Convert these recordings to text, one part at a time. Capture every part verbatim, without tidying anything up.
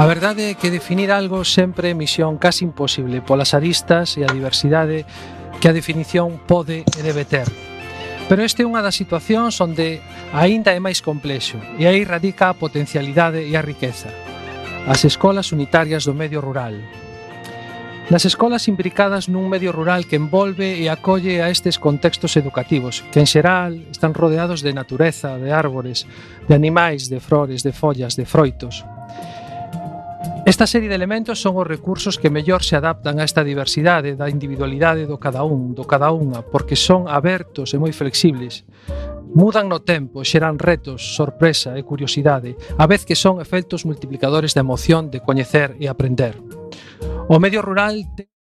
A verdade é que definir algo sempre é misión casi imposible polas aristas e a diversidade que a definición pode e debe ter. Pero este é unha das situacións onde aínda é máis complexo e aí radica a potencialidade e a riqueza. As escolas unitarias do medio rural. Nas escolas imbricadas nun medio rural que envolve e acolle a estes contextos educativos, que en xeral están rodeados de natureza, de árbores, de animais, de flores, de follas, de froitos. Esta serie de elementos son os recursos que mellor se adaptan a esta diversidade da individualidade do cada un, do cada unha, porque son abertos e moi flexibles. Mudan no tempo, xeran retos, sorpresa e curiosidade, a vez que son efectos multiplicadores de emoción, de coñecer e aprender. O medio rural te...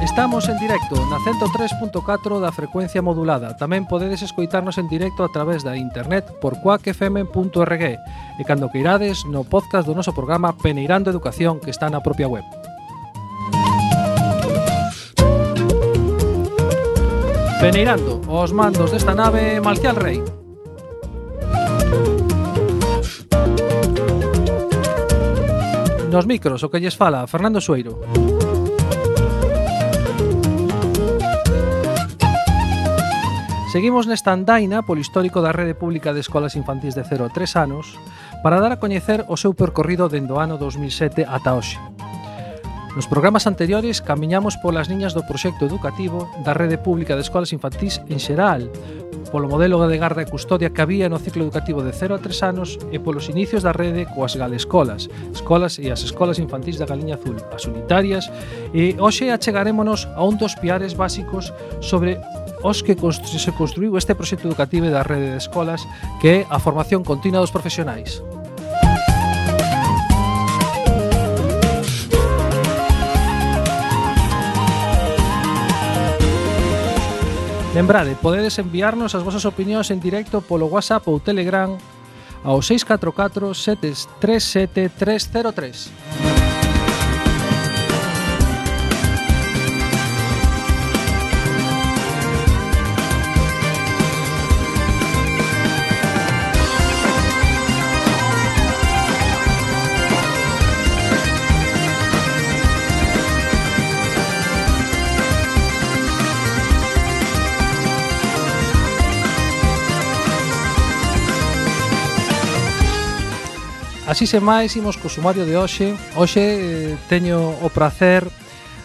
Estamos en directo na ciento tres punto catro da frecuencia modulada. Tamén podedes escoitarnos en directo a través da internet por quack f m punto org e cando queirades no podcast do noso programa Peneirando Educación, que está na propia web. Peneirando, os mandos desta nave Malcial Rei. Nos micros, o que lles fala Fernando Sueiro. Seguimos nesta andaina polo histórico da Rede Pública de Escolas Infantís de cero a tres anos para dar a coñecer o seu percorrido dende o ano dos mil sete ata hoxe. Nos programas anteriores camiñamos polas liñas do proxecto educativo da Rede Pública de Escolas Infantís en xeral, polo modelo de garda e custodia que había no ciclo educativo de cero a tres anos e polos inicios da rede coas galescolas, escolas e as escolas infantís da Galiña Azul, as unitarias, e hoxe achegarémonos a un dos piares básicos sobre os que se construiu este proxecto educativo da rede de escolas, que é a formación continua dos profesionais. Lembrade, podedes enviarnos as vosas opinións en directo polo WhatsApp ou Telegram ao seis catro catro sete tres sete tres cero tres. Así sen máis, imos co sumario de hoxe. Hoxe eh, teño o prazer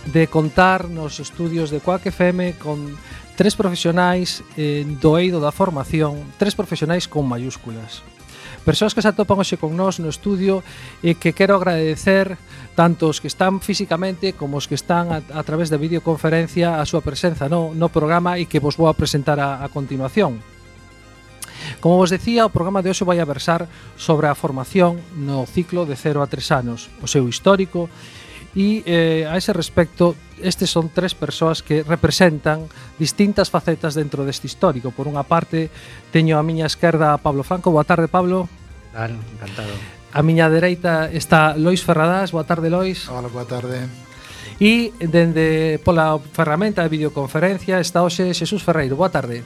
de contar nos estudios de Quack F M con tres profesionais eh, do eido da formación, tres profesionais con mayúsculas. Persoas que se atopan hoxe con nós no estudio e que quero agradecer tanto os que están físicamente como os que están a, a través da videoconferencia a súa presenza no, no programa e que vos vou a presentar a, a continuación. Como vos decía, o programa de hoxe vai a versar sobre a formación no ciclo de cero a tres anos, o seu histórico, e eh, a ese respecto, estes son tres persoas que representan distintas facetas dentro deste histórico. Por unha parte, teño a miña esquerda a Pablo Franco. Boa tarde, Pablo. Claro, encantado. A miña dereita está Lois Ferradás. Boa tarde, Lois. Hola, boa tarde. E dende pola ferramenta de videoconferencia está hoxe Xesús Ferreiro. Boa tarde.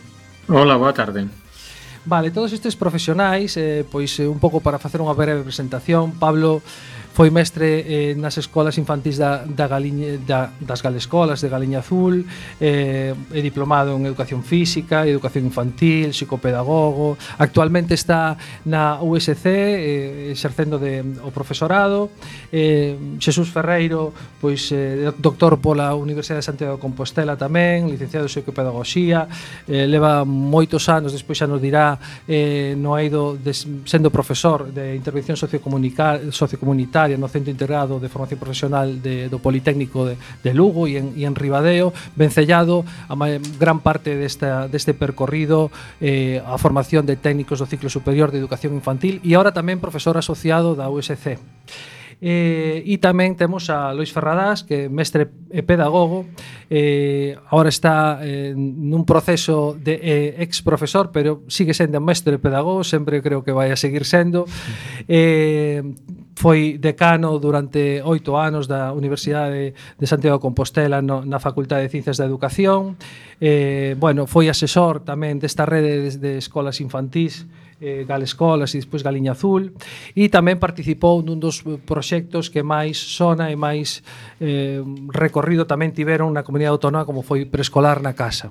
Hola, boa tarde. Vale, todos estes profesionais, eh, pois eh, un pouco para facer unha breve presentación. Pablo foi mestre eh, nas escolas infantís da, da Galiña, da, das Galescolas de Galiña Azul, eh, é diplomado en Educación Física, Educación Infantil, psicopedagogo. Actualmente está na U S C eh, exercendo de, o profesorado. eh, Xesús Ferreiro, pois eh, doctor pola Universidade de Santiago de Compostela tamén, licenciado en Psicopedagoxía, eh, leva moitos anos, despois xa nos dirá, eh, no eido de, sendo profesor de intervención sociocomunitaria no Centro Integrado de Formación Profesional de, do Politécnico de, de Lugo e en, e en Ribadeo, vencellado a gran parte desta, deste percorrido eh, a formación de técnicos do ciclo superior de Educación Infantil e agora tamén profesor asociado da U S C. Eh, e tamén temos a Lois Ferradás, que é mestre e pedagogo, eh, agora está eh, nun proceso de eh, ex profesor, pero sigue sendo mestre e pedagogo, sempre creo que vai a seguir sendo. eh, foi decano durante oito anos da Universidade de Santiago de Compostela no, na Facultade de Ciencias da Educación. Eh, bueno, foi asesor tamén desta rede de, de escolas infantís, eh, Galescolas e despois Galiña Azul, e tamén participou nun dos proxectos que máis sona e máis eh, recorrido tamén tiveron na comunidade autónoma, como foi Preescolar na Casa.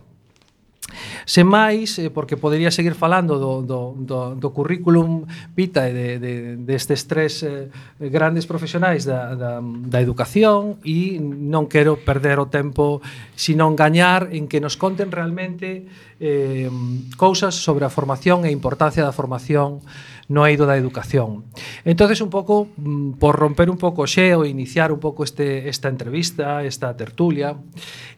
Sen máis, porque podería seguir falando do, do, do, do currículum vitae de, de, destes tres eh, grandes profesionais da, da, da educación, e non quero perder o tempo sino gañar en que nos conten realmente eh, cousas sobre a formación e a importancia da formación no eido da educación. Entonces, un pouco, por romper un pouco o xeo e iniciar un pouco este, esta entrevista, esta tertulia,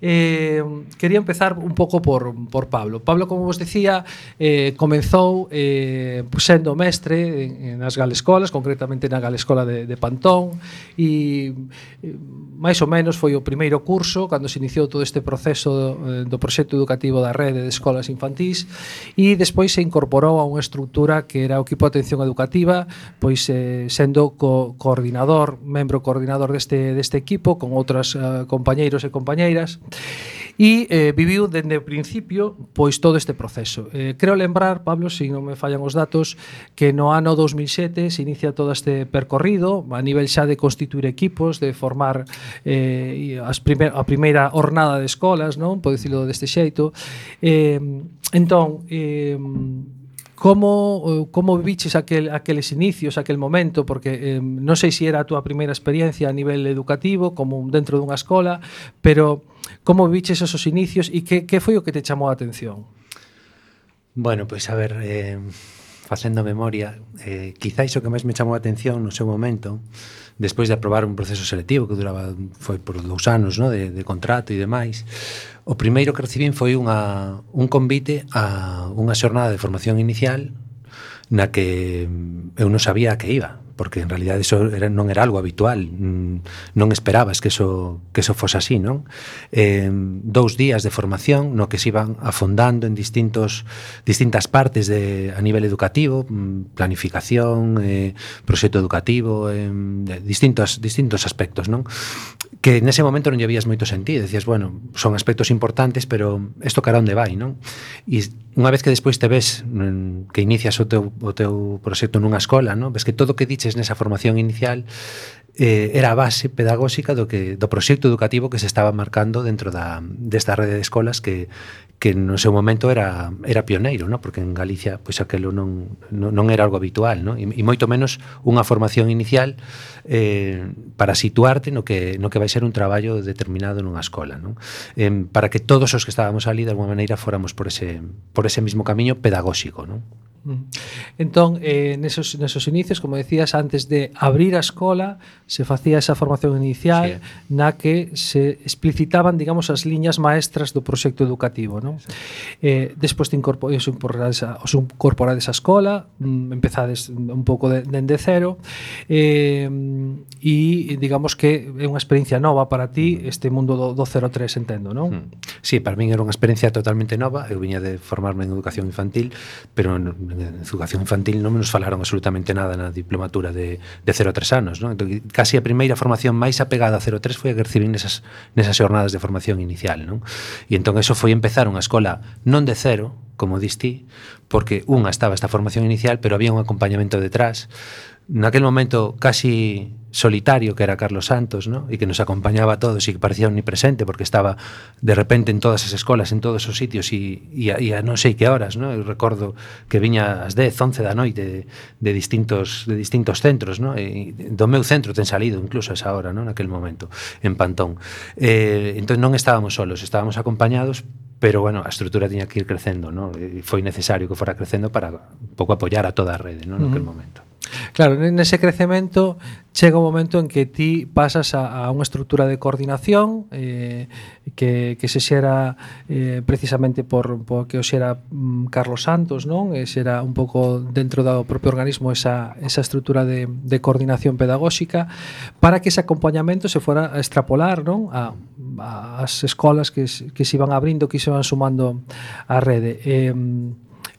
eh, quería empezar un pouco por, por Pablo. Pablo, como vos decía, eh, comenzou eh, sendo mestre en, nas Galescolas, concretamente na Galescola de, de Pantón, e eh, máis ou menos foi o primeiro curso cando se iniciou todo este proceso do, do proxecto educativo da rede de escolas infantís, e despois se incorporou a unha estructura que era o equipo de atención educativa, pois eh, sendo co coordinador, membro coordinador deste, deste equipo, con outras uh, compañeiros e compañeiras, e eh, viviu dende o principio pois todo este proceso. Eh, creo lembrar, Pablo, se non me fallan os datos, que no ano dos mil sete se inicia todo este percorrido a nivel xa de constituir equipos, de formar eh, as primer, a primeira hornada de escolas, non? Podo dicilo deste xeito. Eh, entón, eh, Como, como viviches aquel, aqueles inicios, aquel momento? Porque eh, non sei se era a túa primeira experiencia a nivel educativo, como dentro dunha escola, pero como viviches esos inicios e que, que foi o que te chamou a atención? Bueno, pois pues, a ver, eh, facendo memoria, eh, quizáis o que máis me chamou a atención no seu momento, despois de aprobar un proceso selectivo que duraba, foi por dous anos, no, de, de contrato e demais, o primeiro que recibín foi unha, un convite a unha xornada de formación inicial na que eu non sabía a que iba, porque en realidad eso era, non era algo habitual, non esperabas que eso, que eso fose así, non? Eh, dous días de formación no que se iban afondando en distintos, distintas partes de, a nivel educativo, planificación, eh, proxecto educativo, eh, distintos, distintos aspectos, non? Que nese momento non lle vías moito sentido, decías, bueno, son aspectos importantes, pero isto cara onde vai, non? E unha vez que despois te ves que inicias o teu, o teu proxecto nunha escola, non? Ves que todo o que diches nesa formación inicial eh, era a base pedagóxica do que do proxecto educativo que se estaba marcando dentro da desta rede de escolas que que no seu momento era era pioneiro, ¿no? Porque en Galicia pois aquelo non non, non era algo habitual, ¿no? E, e moito menos unha formación inicial eh, para situarte no que no que vai ser un traballo determinado nunha escola, ¿no? Eh, para que todos os que estábamos ali de alguma maneira fóramos por ese por ese mismo camiño pedagóxico, ¿no? Entón, eh, nesos, nesos inicios, como decías, antes de abrir a escola se facía esa formación inicial, sí, na que se explicitaban, digamos, as liñas maestras do proxecto educativo, non? Sí. Eh, despois de incorporades, incorporades a, os incorporades a escola, mm, empezades un pouco de, de cero, eh, e digamos que é unha experiencia nova para ti este mundo do, do cero tres, entendo, non? Sí, para min era unha experiencia totalmente nova. Eu viña de formarme en educación infantil, pero en educación infantil non nos falaron absolutamente nada na diplomatura de, de cero a tres anos, non? Entón, casi a primeira formación máis apegada a cero a tres foi a que recibín nesas, nesas xornadas de formación inicial, non? E entón eso foi empezar unha escola non de cero, como distí, porque unha estaba esta formación inicial, pero había un acompañamento detrás, naquel momento casi solitario, que era Carlos Santos, ¿no? E que nos acompañaba a todos e que parecía omnipresente porque estaba de repente en todas as escolas, en todos os sitios e, e, a, e a non sei que horas, ¿no? Eu recordo que viña ás dez, once da noite de, de distintos de distintos centros, ¿no? E do meu centro ten salido incluso a esa hora, ¿no? Naquel momento, en Pantón. Eh, entón non estábamos solos, estábamos acompañados, pero bueno, a estrutura tiña que ir crecendo, ¿no? E foi necesario que fora crecendo para un pouco apoiar a toda a rede, ¿no? Naquel uh-huh. momento. Claro, nese crecemento chega un momento en que ti pasas a, a unha estrutura de coordinación eh, que, que se xera eh, precisamente por, por que o xera um, Carlos Santos, non? E xera un pouco dentro do propio organismo esa, esa estrutura de, de coordinación pedagóxica para que ese acompañamento se fora a extrapolar, non? A, a as escolas que, que se iban abrindo, que se iban sumando á rede. Eh,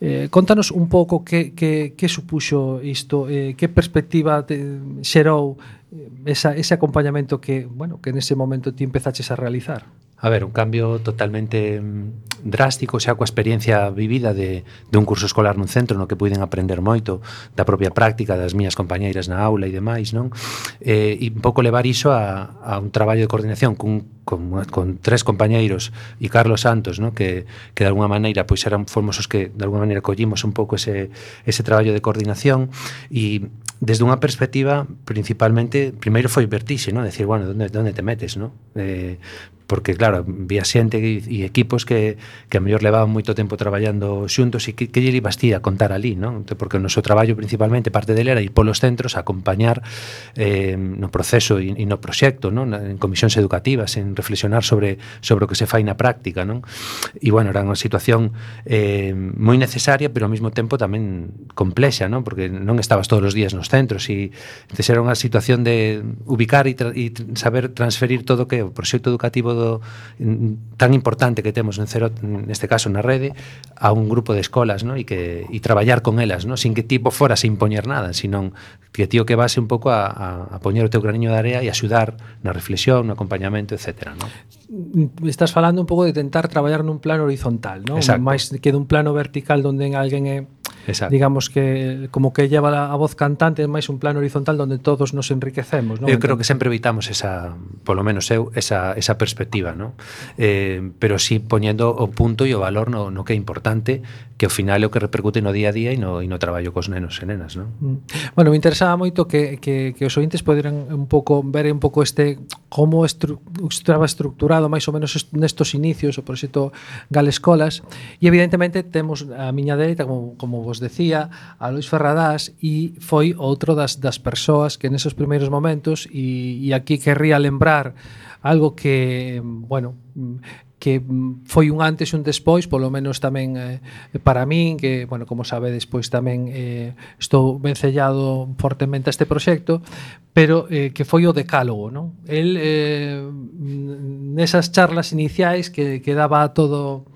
Eh, contanos un pouco que, que, que supuxo isto, eh, que perspectiva te xerou esa, ese acompañamento que, bueno, que nese momento ti empezaches a realizar. A ver, un cambio totalmente drástico, xa coa experiencia vivida de, de un curso escolar nun centro no que puiden aprender moito da propia práctica das miñas compañeiras na aula e demais, non? Eh, e un pouco levar iso a, a un traballo de coordinación cun, con, con tres compañeiros e Carlos Santos, non? Que, que de alguna maneira pois eran fomos os que de alguna maneira collimos un pouco ese, ese traballo de coordinación e desde unha perspectiva principalmente, primeiro foi vertixe, non? Decir, bueno, onde, onde te metes, non? Eh, porque claro, vía xente e, e equipos que, que a mellor levaban moito tempo traballando xuntos e que, que lle ibas ti a contar ali, non? Porque o noso traballo principalmente, parte dele era ir polos centros a acompañar eh, no proceso e, e no proxecto, non? En comisións educativas, en reflexionar sobre, sobre o que se fai na práctica, non? E bueno, era unha situación eh, moi necesaria, pero ao mesmo tempo tamén complexa, non? Porque non estabas todos os días nos centros e entonces era unha situación de ubicar e, tra e saber transferir todo o que é o proxecto educativo do, tan importante que temos en cero, neste caso na rede, a un grupo de escolas, ¿no? E que e traballar con elas, ¿no? Sin que tipo fora a impoñer nada, sino que tío que base un pouco a, a, a poñer o teu graniño de area e axudar na reflexión, no acompañamento, etcétera, ¿no? Estás falando un pouco de tentar traballar nun plano horizontal, ¿no? Máis que dun plano vertical onde alguén é Exacto. digamos que como que lleva a voz cantante, é máis un plano horizontal onde todos nos enriquecemos, ¿no? Eu creo que sempre evitamos esa, polo menos eu, esa, esa perspectiva, ¿no? Eh, pero sí poñendo o punto e o valor no, no que é importante, que ao final é o que repercute no día a día e no, e no traballo cos nenos e nenas, ¿no? Bueno, me interesaba moito que, que, que os ointes poderan un pouco ver un pouco este como estru, estaba estructurado máis ou menos nestos inicios o proxecto Galescolas, e evidentemente temos a miña dereita, como, como vos decía, a Luis Ferradás, e foi outro das, das persoas que nesos primeiros momentos, e, e aquí querría lembrar algo que, bueno, que foi un antes e un despois, polo menos tamén eh, para min, que, bueno, como sabedes, pois tamén eh, estou vencellado fortemente a este proxecto, pero eh, que foi o decálogo, non? El, eh, nesas charlas iniciais que, que daba todo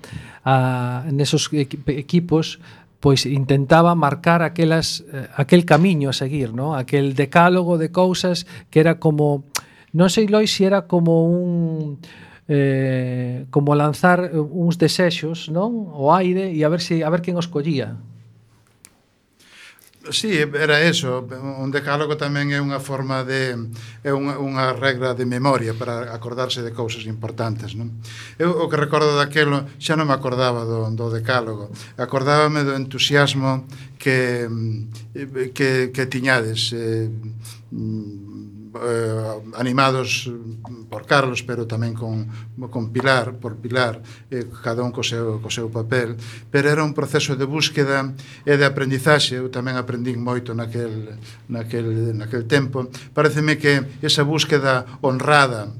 a, nesos equipos, pois intentaba marcar aquelas, eh, aquel camiño a seguir, non? Aquel decálogo de cousas que era como, non sei, Lois, se era como un... Eh, como lanzar uns desexos, non, ao aire e a ver se a ver quen os collía. Sí, era eso. Un decálogo tamén é unha forma de é unha, unha regra de memoria para acordarse de cousas importantes, non? Eu o que recordo daquelo xa non me acordaba do, do decálogo. Acordábame do entusiasmo que que, que tiñades eh, eh, animados por Carlos, pero tamén con, con Pilar, por Pilar, eh, cada un co seu, co seu papel, pero era un proceso de búsqueda e de aprendizaxe. Eu tamén aprendín moito naquel, naquel, naquel tempo. Pareceme que esa búsqueda honrada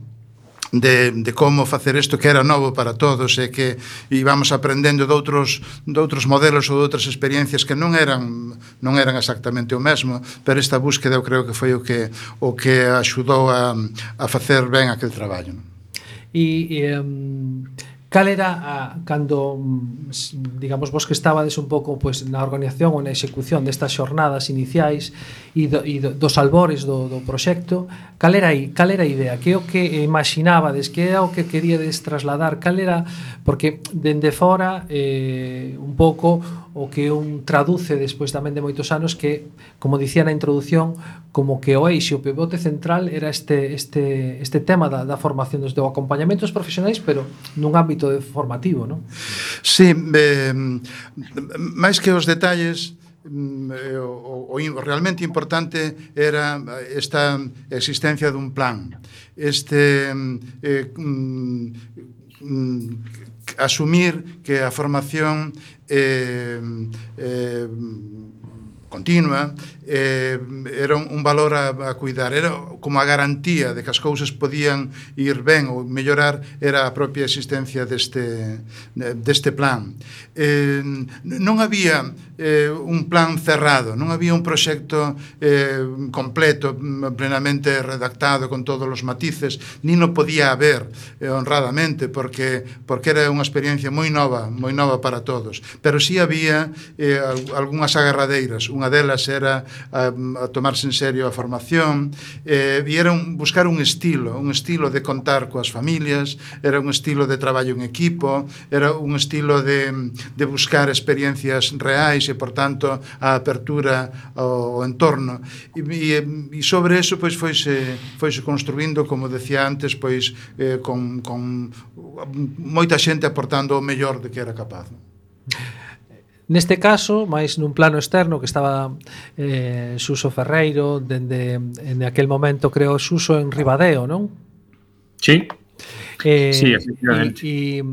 De, de como facer isto que era novo para todos e que íbamos aprendendo de outros, de outros modelos ou de outras experiencias que non eran non eran exactamente o mesmo, pero esta búsqueda eu creo que foi o que o que axudou a, a facer ben aquel traballo. E, e um, cal era a, cando, digamos, vos que estabades un pouco pues, na organización ou na execución destas xornadas iniciais e, do, e do, dos albores do, do proxecto, cal era aí, cal era a idea? Que é o que imaginabades? Que era o que queríades trasladar? Cal era, porque dende fora eh, un pouco o que un traduce despois tamén de moitos anos que, como dicía na introducción, como que o eixo, o pivote central era este, este, este tema da, da formación dos do acompañamentos profesionais, pero nun ámbito formativo, non? Sí, eh, máis que os detalles, o, o, o realmente importante era esta existencia dun plan, este eh, mm, asumir que a formación eh, eh, continua, eh, era un, un valor a, a cuidar, era como a garantía de que as cousas podían ir ben ou mellorar, era a propia existencia deste, deste plan. Eh, non había eh, un plan cerrado, non había un proxecto eh, completo, plenamente redactado con todos os matices, ni non podía haber eh, honradamente, porque, porque era unha experiencia moi nova, moi nova para todos, pero sí había eh, algunhas agarradeiras. Unha delas era a, a tomarse en serio a formación, eh, e era un, buscar un estilo, un estilo de contar coas familias, era un estilo de traballo en equipo, era un estilo de, de buscar experiencias reais e, por tanto, a apertura ao, ao entorno. E, e, e sobre eso, pois, foise, foise construindo, como decía antes, pois, eh, con, con moita xente aportando o mellor de que era capaz. Neste caso, máis nun plano externo, que estaba eh, Suso Ferreiro, dende en aquel momento creou Suso en Ribadeo, non? Sí, Eh, sí, efectivamente. E,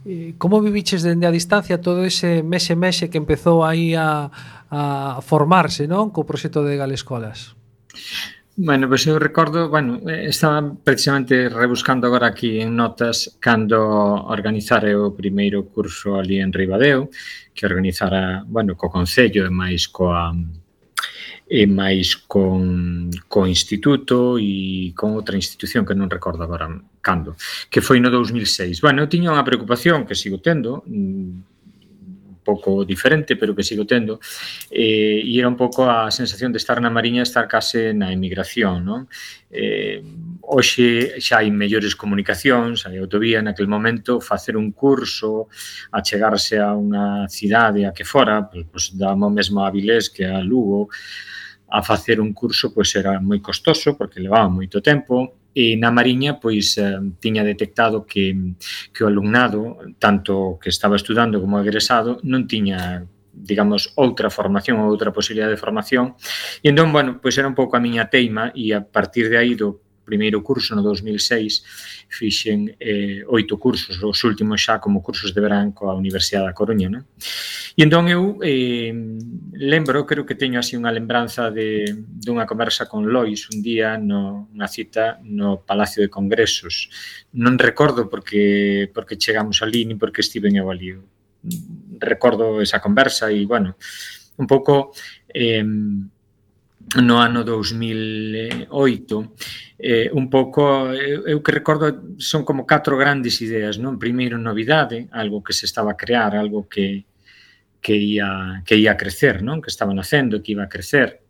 e, como viviches dende a distancia todo ese mexe-mexe que empezou aí a, a formarse, non? Co proxecto de Galescolas. Bueno, pois eu recordo, bueno, estaba precisamente rebuscando agora aquí en notas cando organizara o primeiro curso ali en Ribadeo, que organizara, bueno, co Concello e máis coa e máis con co Instituto e con outra institución que non recordo agora cando, que foi no dous mil seis. Bueno, eu tiña unha preocupación que sigo tendo, un pouco diferente, pero que sigo tendo, eh, e era un pouco a sensación de estar na Mariña, estar case na emigración, non? Eh, hoxe xa hai mellores comunicacións, hai autovía, naquel momento facer un curso, achegarse a unha cidade a que fora, pois damo mesmo a Avilés que a Lugo, a facer un curso pois era moi costoso porque levaba moito tempo. E na Mariña, pois, eh, tiña detectado que, que o alumnado, tanto que estaba estudando como egresado, non tiña, digamos, outra formación ou outra posibilidade de formación. E entón, bueno, pois era un pouco a miña teima e a partir de aí do primeiro curso no dous mil seis fixen eh, oito cursos, os últimos xa como cursos de verán coa Universidade da Coruña, non? E entón eu eh, lembro, creo que teño así unha lembranza de dunha conversa con Lois un día no, unha cita no Palacio de Congresos. Non recordo porque porque chegamos ali ni porque estiven eu ali. Recordo esa conversa e, bueno, un pouco eh, no ano dous mil oito, eh, un pouco, eu, eu que recordo, son como catro grandes ideas, non? Primeiro, novidade, algo que se estaba a crear, algo que, que, ia, que ia a crecer, non? Que estaba nacendo, que iba a crecer.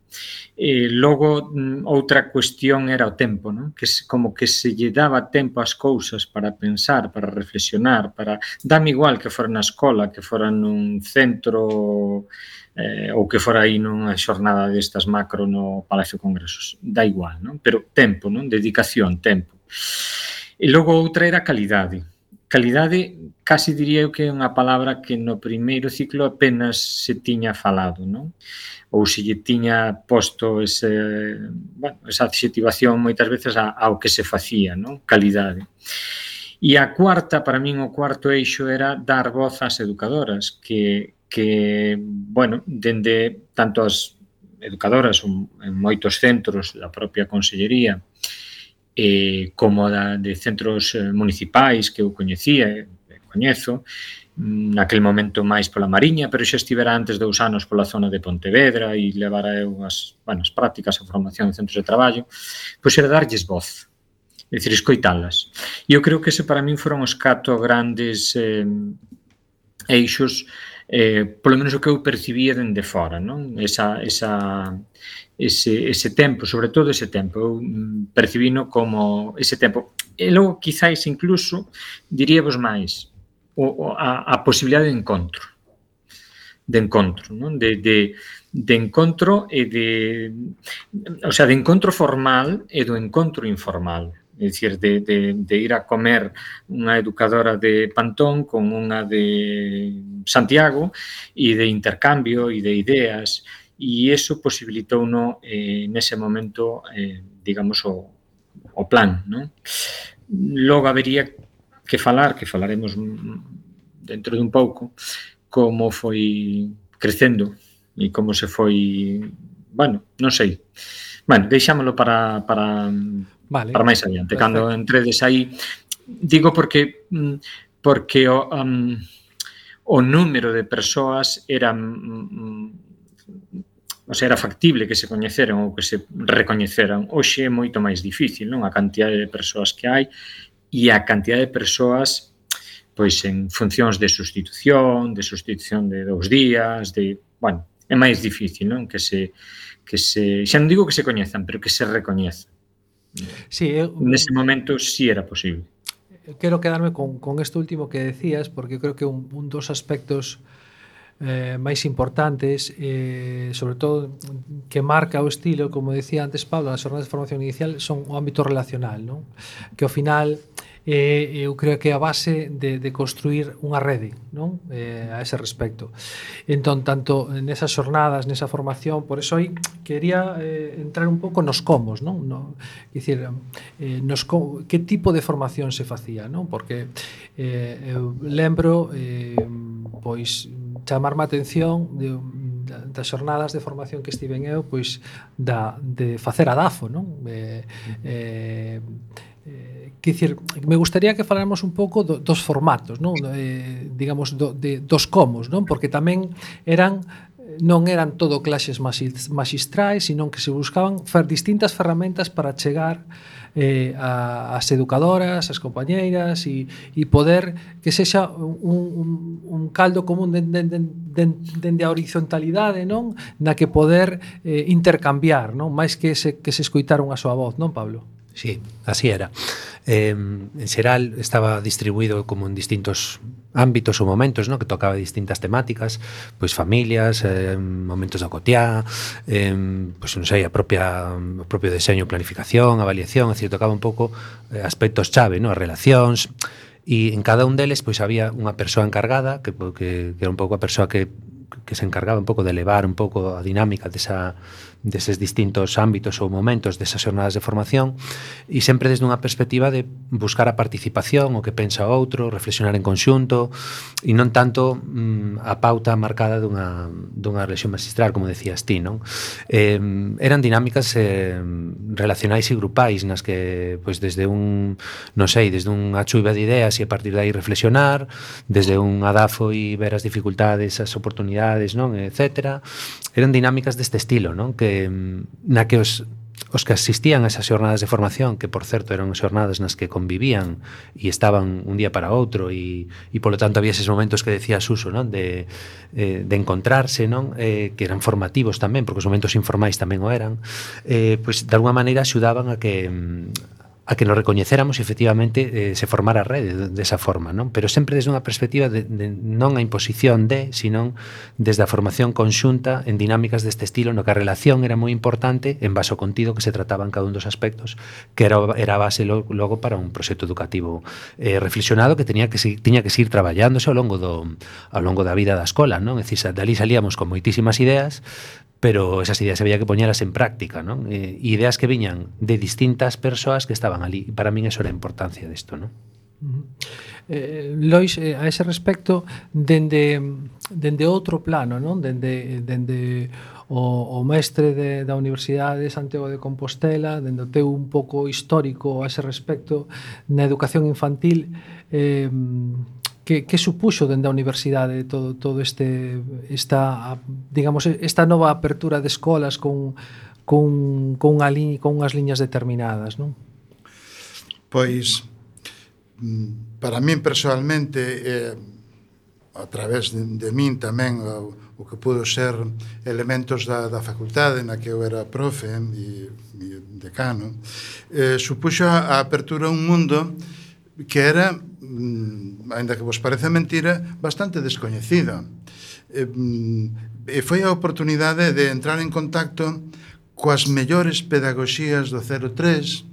E logo, outra cuestión era o tempo, non? Que como que se lle daba tempo ás cousas para pensar, para reflexionar, para... Dame igual que fora na escola, que fora nun centro... Eh, ou que fora aí nunha xornada destas macro no Palacio de Congresos, dá igual, non? Pero tempo, non? Dedicación, tempo. E logo outra era calidade. Calidade, casi diría eu que é unha palabra que no primeiro ciclo apenas se tiña falado, non? Ou se lle tiña posto ese, bueno, esa adxetivación moitas veces ao que se facía, non? Calidade. E a cuarta, para min o cuarto eixo era dar voz ás educadoras, que que, bueno, dende tanto as educadoras en moitos centros da propia Consellería eh, como da, de centros municipais que eu coñecía e coñezo, naquel momento máis pola Mariña, pero xa estivera antes dous anos pola zona de Pontevedra e levara eu as, bueno, as prácticas, a formación en centros de traballo, pois era darlles voz, é dicir, escoitalas. E eu creo que ese para min foron os catro grandes eh, eixos, eh, polo menos o que eu percibía dende fora, non? Esa, esa, ese, ese tempo, sobre todo ese tempo, eu percibino como ese tempo. E logo, quizáis, incluso, diríavos máis, o, a, a posibilidade de encontro, de encontro, non? De, de, de encontro e de, o sea, de encontro formal e do encontro informal. É dicir, de, de, de ir a comer unha educadora de Pantón con unha de Santiago e de intercambio e de ideas, e iso posibilitou no, eh, nese momento, eh, digamos, o, o plan, non? Logo habería que falar, que falaremos dentro de un pouco, como foi crecendo e como se foi, bueno, non sei. Bueno, deixámolo para para vale, para máis adiante, perfecto. cando entredes aí. Digo porque porque o um, o número de persoas era um, o sea, era factible que se coñeceran ou que se recoñeceran. Hoxe é moito máis difícil, non? A cantidade de persoas que hai e a cantidade de persoas pois en funcións de sustitución, de sustitución de dous días, de, bueno, é máis difícil, non? Que se que se, xa non digo que se coñezan, pero que se recoñezan. Sí, eu, nese momento sí era posible. Quero quedarme con, con esto último que decías, porque creo que un, un dos aspectos eh, máis importantes, eh, sobre todo que marca o estilo, como decía antes Pablo, nas jornadas de formación inicial, son o ámbito relacional, non? Que ao final eh, eu creo que é a base de, de construir unha rede, non? Eh, a ese respecto. Entón, tanto nesas jornadas, nesa formación, por eso aí quería eh, entrar un pouco nos comos, non? No, dicir, eh, nos com, que tipo de formación se facía, non? Porque eh, eu lembro eh, pois chamarme a atención de, das xornadas de formación que estiven eu, pois da, de facer a DAFO, non? Eh, eh, eh, que dicir, me gustaría que faláramos un pouco do, dos formatos, non? Eh, digamos, do, de, dos comos, non? Porque tamén eran non eran todo clases maxistrais, sino que se buscaban fer distintas ferramentas para chegar eh, a, as educadoras, as compañeiras e, e poder que sexa un, un, un caldo común dende de, de, de, de a horizontalidade, non? Na que poder eh, intercambiar, non? Máis que se, que se escoitar unha súa voz, non, Pablo? Sí, así era. Eh, en xeral estaba distribuído como en distintos ámbitos ou momentos, ¿no? Que tocaba distintas temáticas, pois familias, eh, momentos da cotiá, eh, pois non sei, a propia o propio deseño, planificación, avaliación, é dicir, tocaba un pouco eh, aspectos chave, ¿no? As relacións, e en cada un deles pois había unha persoa encargada que, que, que era un pouco a persoa que que se encargaba un pouco de elevar un pouco a dinámica desa deses distintos ámbitos ou momentos desas jornadas de formación e sempre desde unha perspectiva de buscar a participación, o que pensa o outro, reflexionar en conxunto e non tanto mm, a pauta marcada dunha, dunha relación magistral, como decías ti, non? Eh, eran dinámicas eh, relacionais e grupais nas que, pois, desde un, non sei, desde unha chuva de ideas e a partir de aí reflexionar, desde un adafo e ver as dificultades, as oportunidades, non? Etcétera. Eran dinámicas deste estilo, non? Que na que os, os que asistían a esas xornadas de formación, que por certo eran xornadas nas que convivían e estaban un día para outro e, e polo tanto había eses momentos que decía Suso, non? De, eh, de encontrarse, non? Eh, que eran formativos tamén, porque os momentos informais tamén o eran, eh, pois de alguma maneira axudaban a que a que nos recoñecéramos e efectivamente eh, se formara a rede desa forma, non? Pero sempre desde unha perspectiva de, de non a imposición de, sino desde a formación conxunta en dinámicas deste estilo, no que a relación era moi importante en base ao contido que se trataba en cada un dos aspectos, que era, era a base logo para un proxecto educativo eh, reflexionado que tenía que tiña que seguir traballándose ao longo do ao longo da vida da escola, non? É dicir, dali salíamos con moitísimas ideas, pero esas ideas había que poñelas en práctica, non? Eh, ideas que viñan de distintas persoas que estaban ali. E para min eso era a importancia disto, non? Uh-huh. Eh, Lois, eh, a ese respecto, dende, dende outro plano, non? Dende, dende o, o mestre de, da Universidade de Santiago de Compostela, dende o teu un pouco histórico a ese respecto na educación infantil, eh, Que, que supuxo dende a universidade todo, todo este esta, digamos, esta nova apertura de escolas con, con, con, unha li, con unhas liñas determinadas, non? Pois, para min personalmente, eh, a través de, de min tamén, o, o que pudo ser elementos da, da facultade na que eu era profe e, e decano, eh, supuxo a apertura a un mundo que era, ainda que vos parece mentira, bastante descoñecida. E foi a oportunidade de entrar en contacto coas mellores pedagogías do cero tres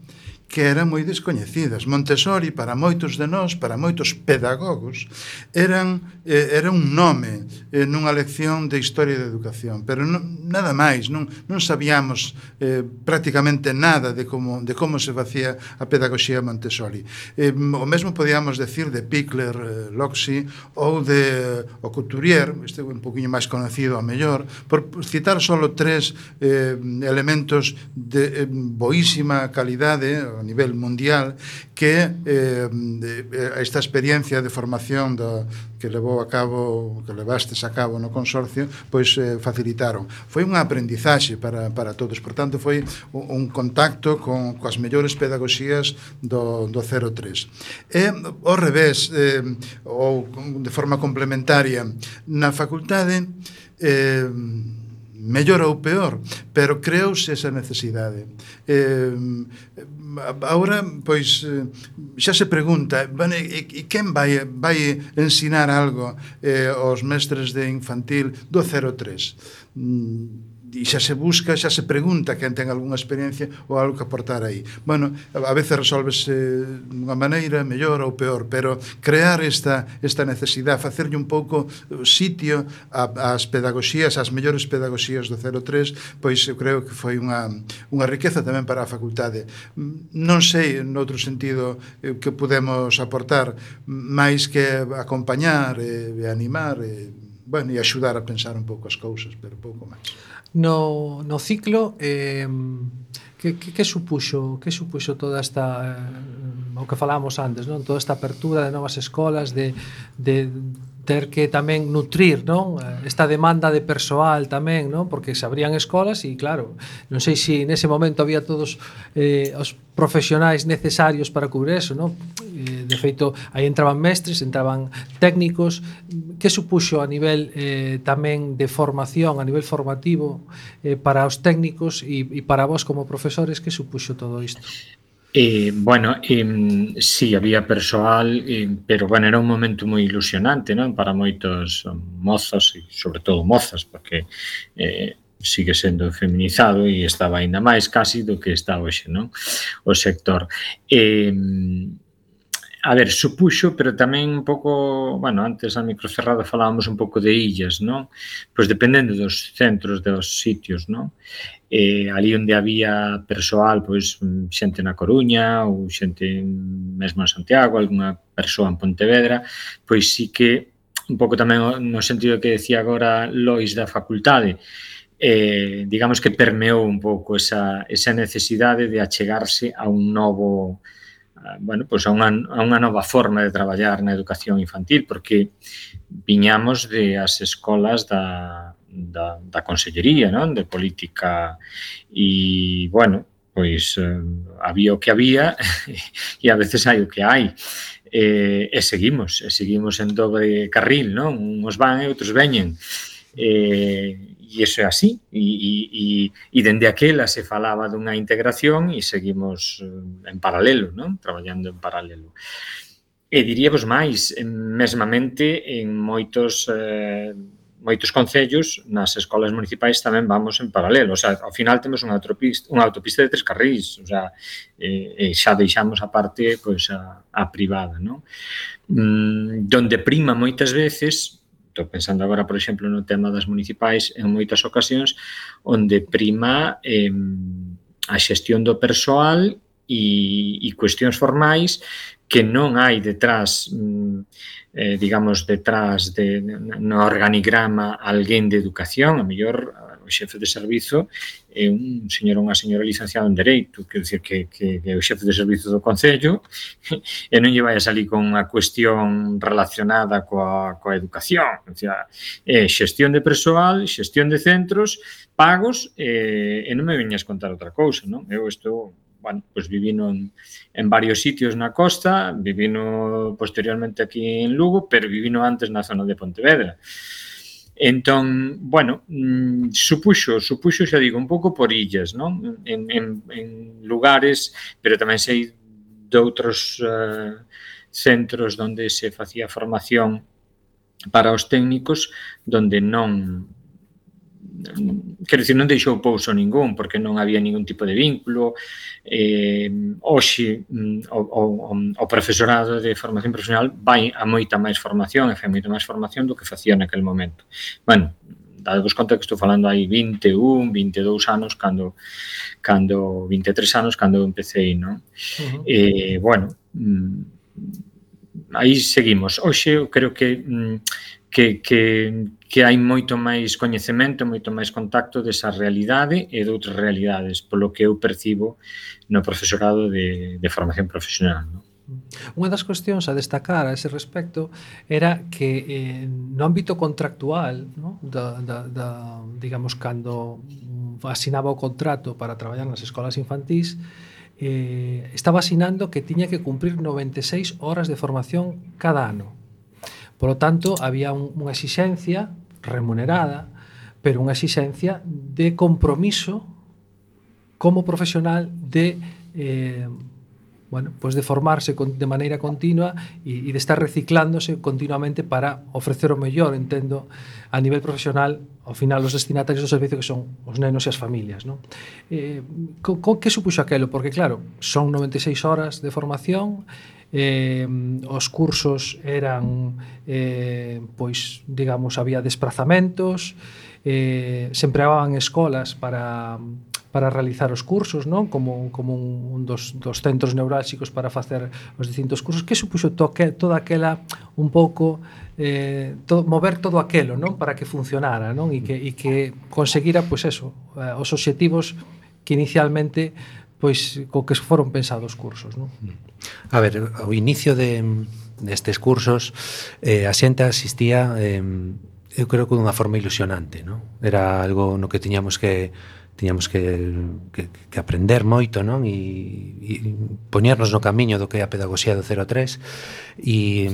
que eran moi descoñecidas. Montessori, para moitos de nós, para moitos pedagogos, eran, eh, era un nome eh, nunha lección de Historia de Educación, pero non, nada máis, non, non sabíamos eh, prácticamente nada de como, de como se facía a pedagogía Montessori. Eh, o mesmo podíamos decir de Pickler, eh, Loxi, ou de o Couturier, este é un poquinho máis conocido a mellor, por citar solo tres eh, elementos de eh, boísima calidade a nivel mundial que eh, esta experiencia de formación do, que levou a cabo, que levastes a cabo no consorcio, pois eh, facilitaron. Foi unha aprendizaxe para, para todos, por tanto foi un, un contacto con coas mellores pedagogías do, do cero tres. E ao revés, eh, ou de forma complementaria, na facultade eh, mellor ou peor, pero creouse esa necesidade. Eh, agora, pois, xa se pregunta, bueno, e, e quen vai, vai ensinar algo eh, aos mestres de infantil do cero tres? Mm, e xa se busca, xa se pregunta quen ten algunha experiencia ou algo que aportar aí. Bueno, a veces resolvese dunha maneira mellor ou peor, pero crear esta, esta necesidade, facerlle un pouco sitio ás pedagogías, ás mellores pedagogías do cero tres, pois eu creo que foi unha, unha riqueza tamén para a facultade. Non sei, noutro sentido, que podemos aportar, máis que acompañar e, e animar e, bueno, e axudar a pensar un pouco as cousas, pero pouco máis. No, no ciclo eh, que, que, que supuxo que supuxo toda esta eh, o que falábamos antes, non? Toda esta apertura de novas escolas, de, de ter que tamén nutrir, non? Esta demanda de persoal tamén, non? Porque se abrían escolas e claro, non sei se nese momento había todos eh, os profesionais necesarios para cubrir eso, non? Eh, de feito, aí entraban mestres, entraban técnicos. Que supuxo a nivel eh, tamén de formación, a nivel formativo eh, para os técnicos e, e para vos como profesores, que supuxo todo isto? Eh, bueno, eh, sí, había persoal, eh, pero bueno, era un momento moi ilusionante, non? Para moitos mozos e sobre todo mozas, porque eh, sigue sendo feminizado e estaba aínda máis casi do que está hoxe, non? O sector. Eh, A ver, supuxo, pero tamén un pouco, bueno, antes a microcerrada falábamos un pouco de illas, non? Pois dependendo dos centros, dos sitios, non? Eh, ali onde había persoal, pois xente na Coruña ou xente mesmo en Santiago, algunha persoa en Pontevedra, pois sí que un pouco tamén no sentido que decía agora Lois da facultade, eh, digamos que permeou un pouco esa, esa necesidade de achegarse a un novo... bueno, pois a unha, a unha nova forma de traballar na educación infantil, porque viñamos de as escolas da, da, da Consellería, non? De política e, bueno, pois eh, había o que había e a veces hai o que hai. E, e seguimos, e seguimos en dobre carril, non? Uns van e outros veñen. E, e iso é así, e, e, e dende aquela se falaba dunha integración e seguimos en paralelo, non? Traballando en paralelo. E diríamos máis, mesmamente en moitos eh, moitos concellos, nas escolas municipais tamén vamos en paralelo, o sea, ao final temos unha autopista, unha autopista de tres carrís, o sea, e, e xa deixamos a parte, pois, a, a privada, non? Mm, donde prima moitas veces... Estou pensando agora, por exemplo, no tema das municipais, en moitas ocasións, onde prima eh, a xestión do persoal e, e cuestións formais que non hai detrás, eh, digamos, detrás de, no organigrama alguén de educación, a mellor o xefe de servizo é un señor ou unha señora licenciada en Dereito, quer dizer que, que, que é o xefe de servizo do Concello e non lle vai a salir con unha cuestión relacionada coa, coa educación. O sea, é xestión de persoal, xestión de centros, pagos, e, e non me veñas contar outra cousa, non? Eu estou... Bueno, pues vivino en, en varios sitios na costa, vivino posteriormente aquí en Lugo, pero vivino antes na zona de Pontevedra. Entón, bueno, mmm, supuxo, supuxo, xa digo, un pouco por illas, non? En, en, en lugares, pero tamén sei de outros uh, centros onde se facía formación para os técnicos, donde non quero dicir, non deixou pouso ningún, porque non había ningún tipo de vínculo. Eh, hoxe, o, o, o profesorado de formación profesional vai a moita máis formación, e fai moita máis formación do que facía naquele momento. Bueno, dadevos conta que estou falando hai vinte e un, vinte e dous anos, cando, cando vinte e tres anos, cando empecé, non? Uh-huh. E, bueno, aí seguimos. Hoxe, eu creo que... Que, que, que hai moito máis coñecemento, moito máis contacto desa realidade e de outras realidades, polo que eu percibo no profesorado de, de formación profesional, non? Unha das cuestións a destacar a ese respecto era que eh, no ámbito contractual, ¿no? da, da, da, digamos, cando asinaba o contrato para traballar nas escolas infantís, eh, estaba asinando que tiña que cumprir noventa e seis horas de formación cada ano. Por lo tanto, había un, unha exixencia remunerada, pero unha exixencia de compromiso como profesional de eh, bueno, pues de formarse con, de maneira continua e, e de estar reciclándose continuamente para ofrecer o mellor, entendo, a nivel profesional, ao final, os destinatarios do servicio que son os nenos e as familias, non? Eh, co, co, que supuxo aquelo? Porque, claro, son noventa e seis horas de formación. Eh, os cursos eran eh, pois, digamos, había desplazamentos, eh, se empregaban escolas para, para realizar os cursos, non? Como, como un, un dos, dos centros neurálxicos para facer os distintos cursos. Que supuxo toque, toda aquela un pouco eh, to, mover todo aquelo, non? Para que funcionara, non? E que, e que conseguira, pois eso, eh, os obxectivos que inicialmente pois co que foron pensados os cursos, non? A ver, ao inicio de destes cursos eh, a xente asistía eh, eu creo que dunha forma ilusionante, non? Era algo no que tiñamos que tiñamos que, que, que aprender moito, non? E, e poñernos no camiño do que é a pedagogía do cero a tres, e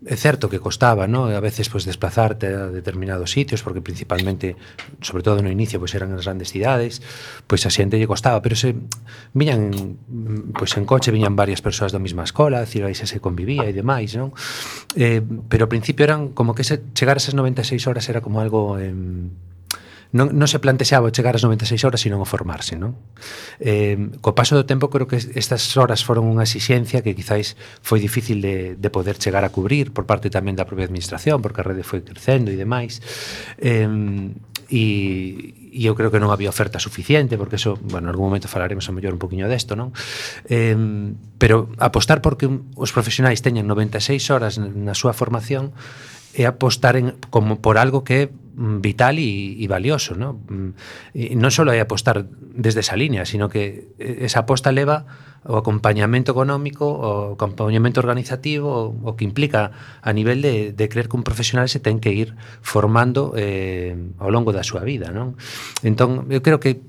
é certo que costaba, non? A veces pois desplazarte a determinados sitios, porque principalmente, sobre todo no inicio, pois eran as grandes cidades, pois a xente lle costaba, pero se viñan pois en coche, viñan varias persoas da mesma escola, decir, aí se convivía e demais, non? Eh, pero ao principio eran como que ese, chegar a esas noventa e seis horas era como algo eh, non, non se plantexaba chegar ás noventa e seis horas, sino a formarse, non? Eh, co paso do tempo, creo que estas horas foron unha exixencia que quizáis foi difícil de, de poder chegar a cubrir por parte tamén da propia administración, porque a rede foi crecendo e demais. Eh, e, e eu creo que non había oferta suficiente, porque eso, bueno, en algún momento falaremos a mellor un poquinho desto, non? Eh, pero apostar porque os profesionais teñan noventa e seis horas na súa formación é apostar en, como por algo que é vital e, e valioso, ¿no? E non só é apostar desde esa línea, sino que esa aposta leva o acompañamento económico, o acompañamento organizativo, o, o que implica a nivel de, de creer que un profesional se ten que ir formando eh, ao longo da súa vida, non? Entón, eu creo que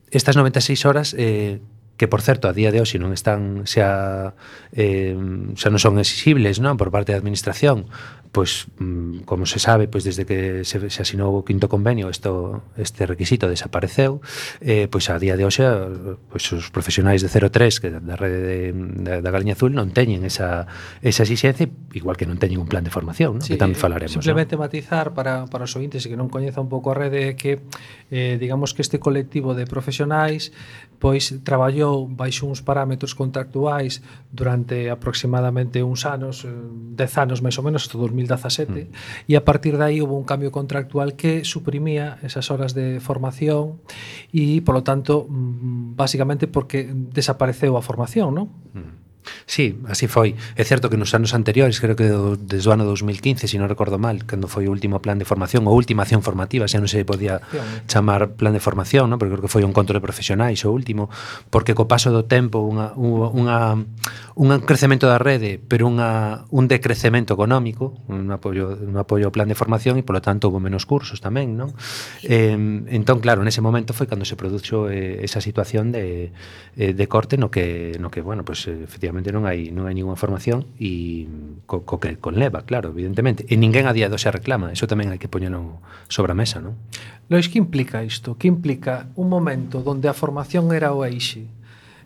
estas noventa e seis horas eh, que, por certo, a día de hoxe non están xa, eh, xa non son exigibles, non, por parte da administración, pois, como se sabe, pois desde que se, se asinou o quinto convenio, esto, este requisito desapareceu, eh, pois a día de hoxe, pois os profesionais de cero tres, que da rede de, da, da Galiña Azul, non teñen esa, esa exigencia, igual que non teñen un plan de formación, ¿no? Sí, que tamén falaremos. Simplemente, ¿no? matizar para, para os ointes e que non coñeza un pouco a rede, que eh, digamos que este colectivo de profesionais pois traballou baixo uns parámetros contractuais durante aproximadamente uns anos, dez anos máis ou menos, hasta dos mil dezasete, mm. e a partir de aí hubo un cambio contractual que suprimía esas horas de formación e, polo tanto, básicamente porque desapareceu a formación, non? Mm. Sí, así foi. É certo que nos anos anteriores, creo que desde o ano dos mil quince, se non recordo mal, cando foi o último plan de formación, ou última acción formativa, xa non se podía chamar plan de formación, ¿no? Porque creo que foi un encontro de profesionais o último, porque co paso do tempo unha, unha, un crecemento da rede, pero unha, un decrecemento económico, un apoio, un apoio ao plan de formación, e polo tanto houve menos cursos tamén, non? Eh, entón, claro, nese momento foi cando se produxo eh, esa situación de, eh, de corte no que, no que bueno, pues, efectivamente non hai non hai ninguna formación e co, co que conleva, claro, evidentemente. E ninguén a día de hoxe reclama, eso tamén hai que poñelo sobre a mesa, non? Lois, que implica isto? Que implica un momento onde a formación era o eixe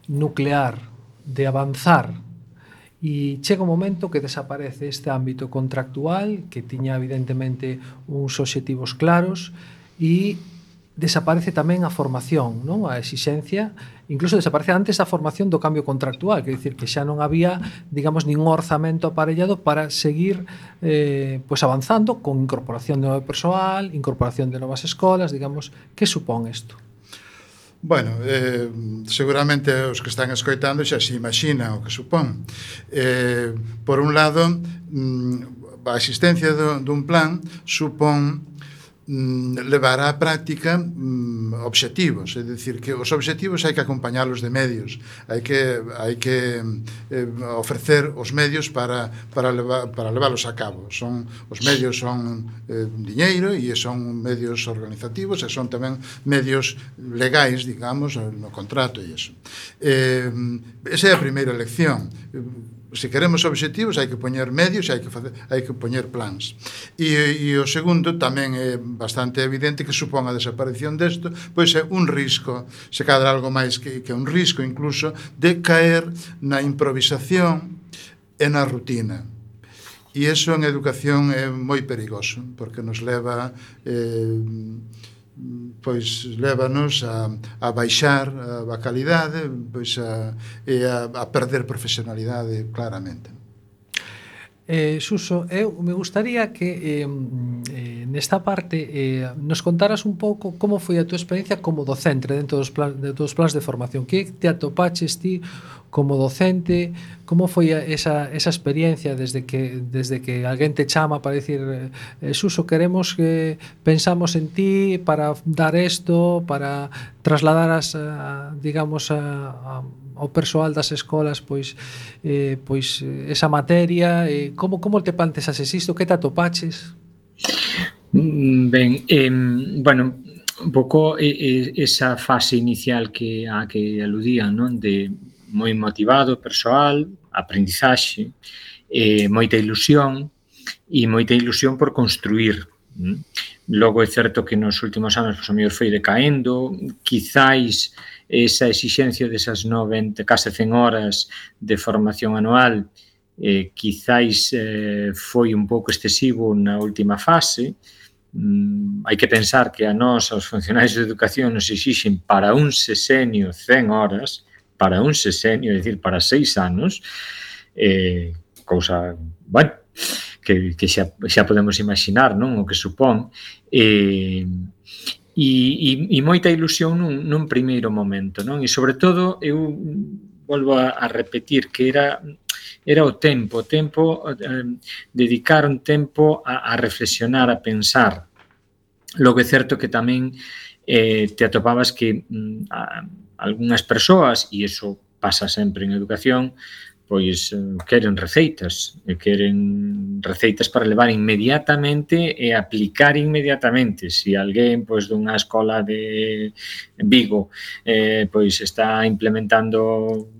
nuclear de avanzar e chega un momento que desaparece este ámbito contractual que tiña evidentemente uns obxectivos claros e desaparece tamén a formación, non? A exixencia, incluso desaparece antes a formación do cambio contractual, que dicir que xa non había, digamos, ningún orzamento aparellado para seguir eh, pues avanzando con incorporación de novo persoal, incorporación de novas escolas, digamos, que supón isto? Bueno, eh, seguramente os que están escoitando xa se imaginan o que supón. Eh, por un lado, mm, a existencia do, dun plan supón mm, levar á práctica mm, obxectivos, é dicir, que os obxectivos hai que acompañalos de medios, hai que hai que eh, ofrecer os medios para para levar, para leválos a cabo. Son os medios son eh, diñeiro e son medios organizativos e son tamén medios legais, digamos, no contrato e iso. Eh, esa é a primeira lección. Se queremos obxectivos hai que poñer medios e hai que facer, hai que poñer plans. E, e o segundo tamén é bastante evidente que supón a desaparición desto, pois é un risco, se cadra algo máis que, que un risco incluso de caer na improvisación e na rutina. E iso en educación é moi perigoso, porque nos leva eh, pois lévanos a, a baixar a, a calidade, pois a, e a, a perder profesionalidade claramente. Eh, Suso, eu me gustaría que eh, eh, nesta parte eh, nos contaras un pouco como foi a túa experiencia como docente dentro dos plans de, dos plans de formación. Que te atopaches ti como docente? Como foi a, esa, esa experiencia desde que desde que alguén te chama para dicir eh, Suso, queremos que pensamos en ti para dar isto, para trasladar as, a, digamos, a, a ao persoal das escolas pois eh, pois esa materia, eh, como como te planteases isto, que te atopaches? Ben, eh, bueno, un pouco eh, esa fase inicial que a que aludían, non? De moi motivado, persoal, aprendizaxe, eh, moita ilusión e moita ilusión por construir. Logo é certo que nos últimos anos, pois, o mellor foi decaendo, quizáis esa exixencia desas noventa, case cen horas de formación anual, eh, quizáis eh, foi un pouco excesivo na última fase. Mm, hai que pensar que a nós, aos funcionarios de educación, nos exixen para un sexenio cen horas, para un sexenio, é dicir, para seis anos, eh, cousa, bueno, que, que xa, xa podemos imaginar, non, o que supón, eh, E, e, e moita ilusión nun, nun primeiro momento, non? E sobre todo eu volvo a, a repetir que era era o tempo, o tempo eh, dedicar un tempo a, a reflexionar, a pensar. Logo é certo que tamén eh, te atopabas que mm, a, algunhas persoas, e iso pasa sempre en educación, pois queren receitas, e queren receitas para levar inmediatamente e aplicar inmediatamente. Se alguén pois dunha escola de Vigo eh, pois está implementando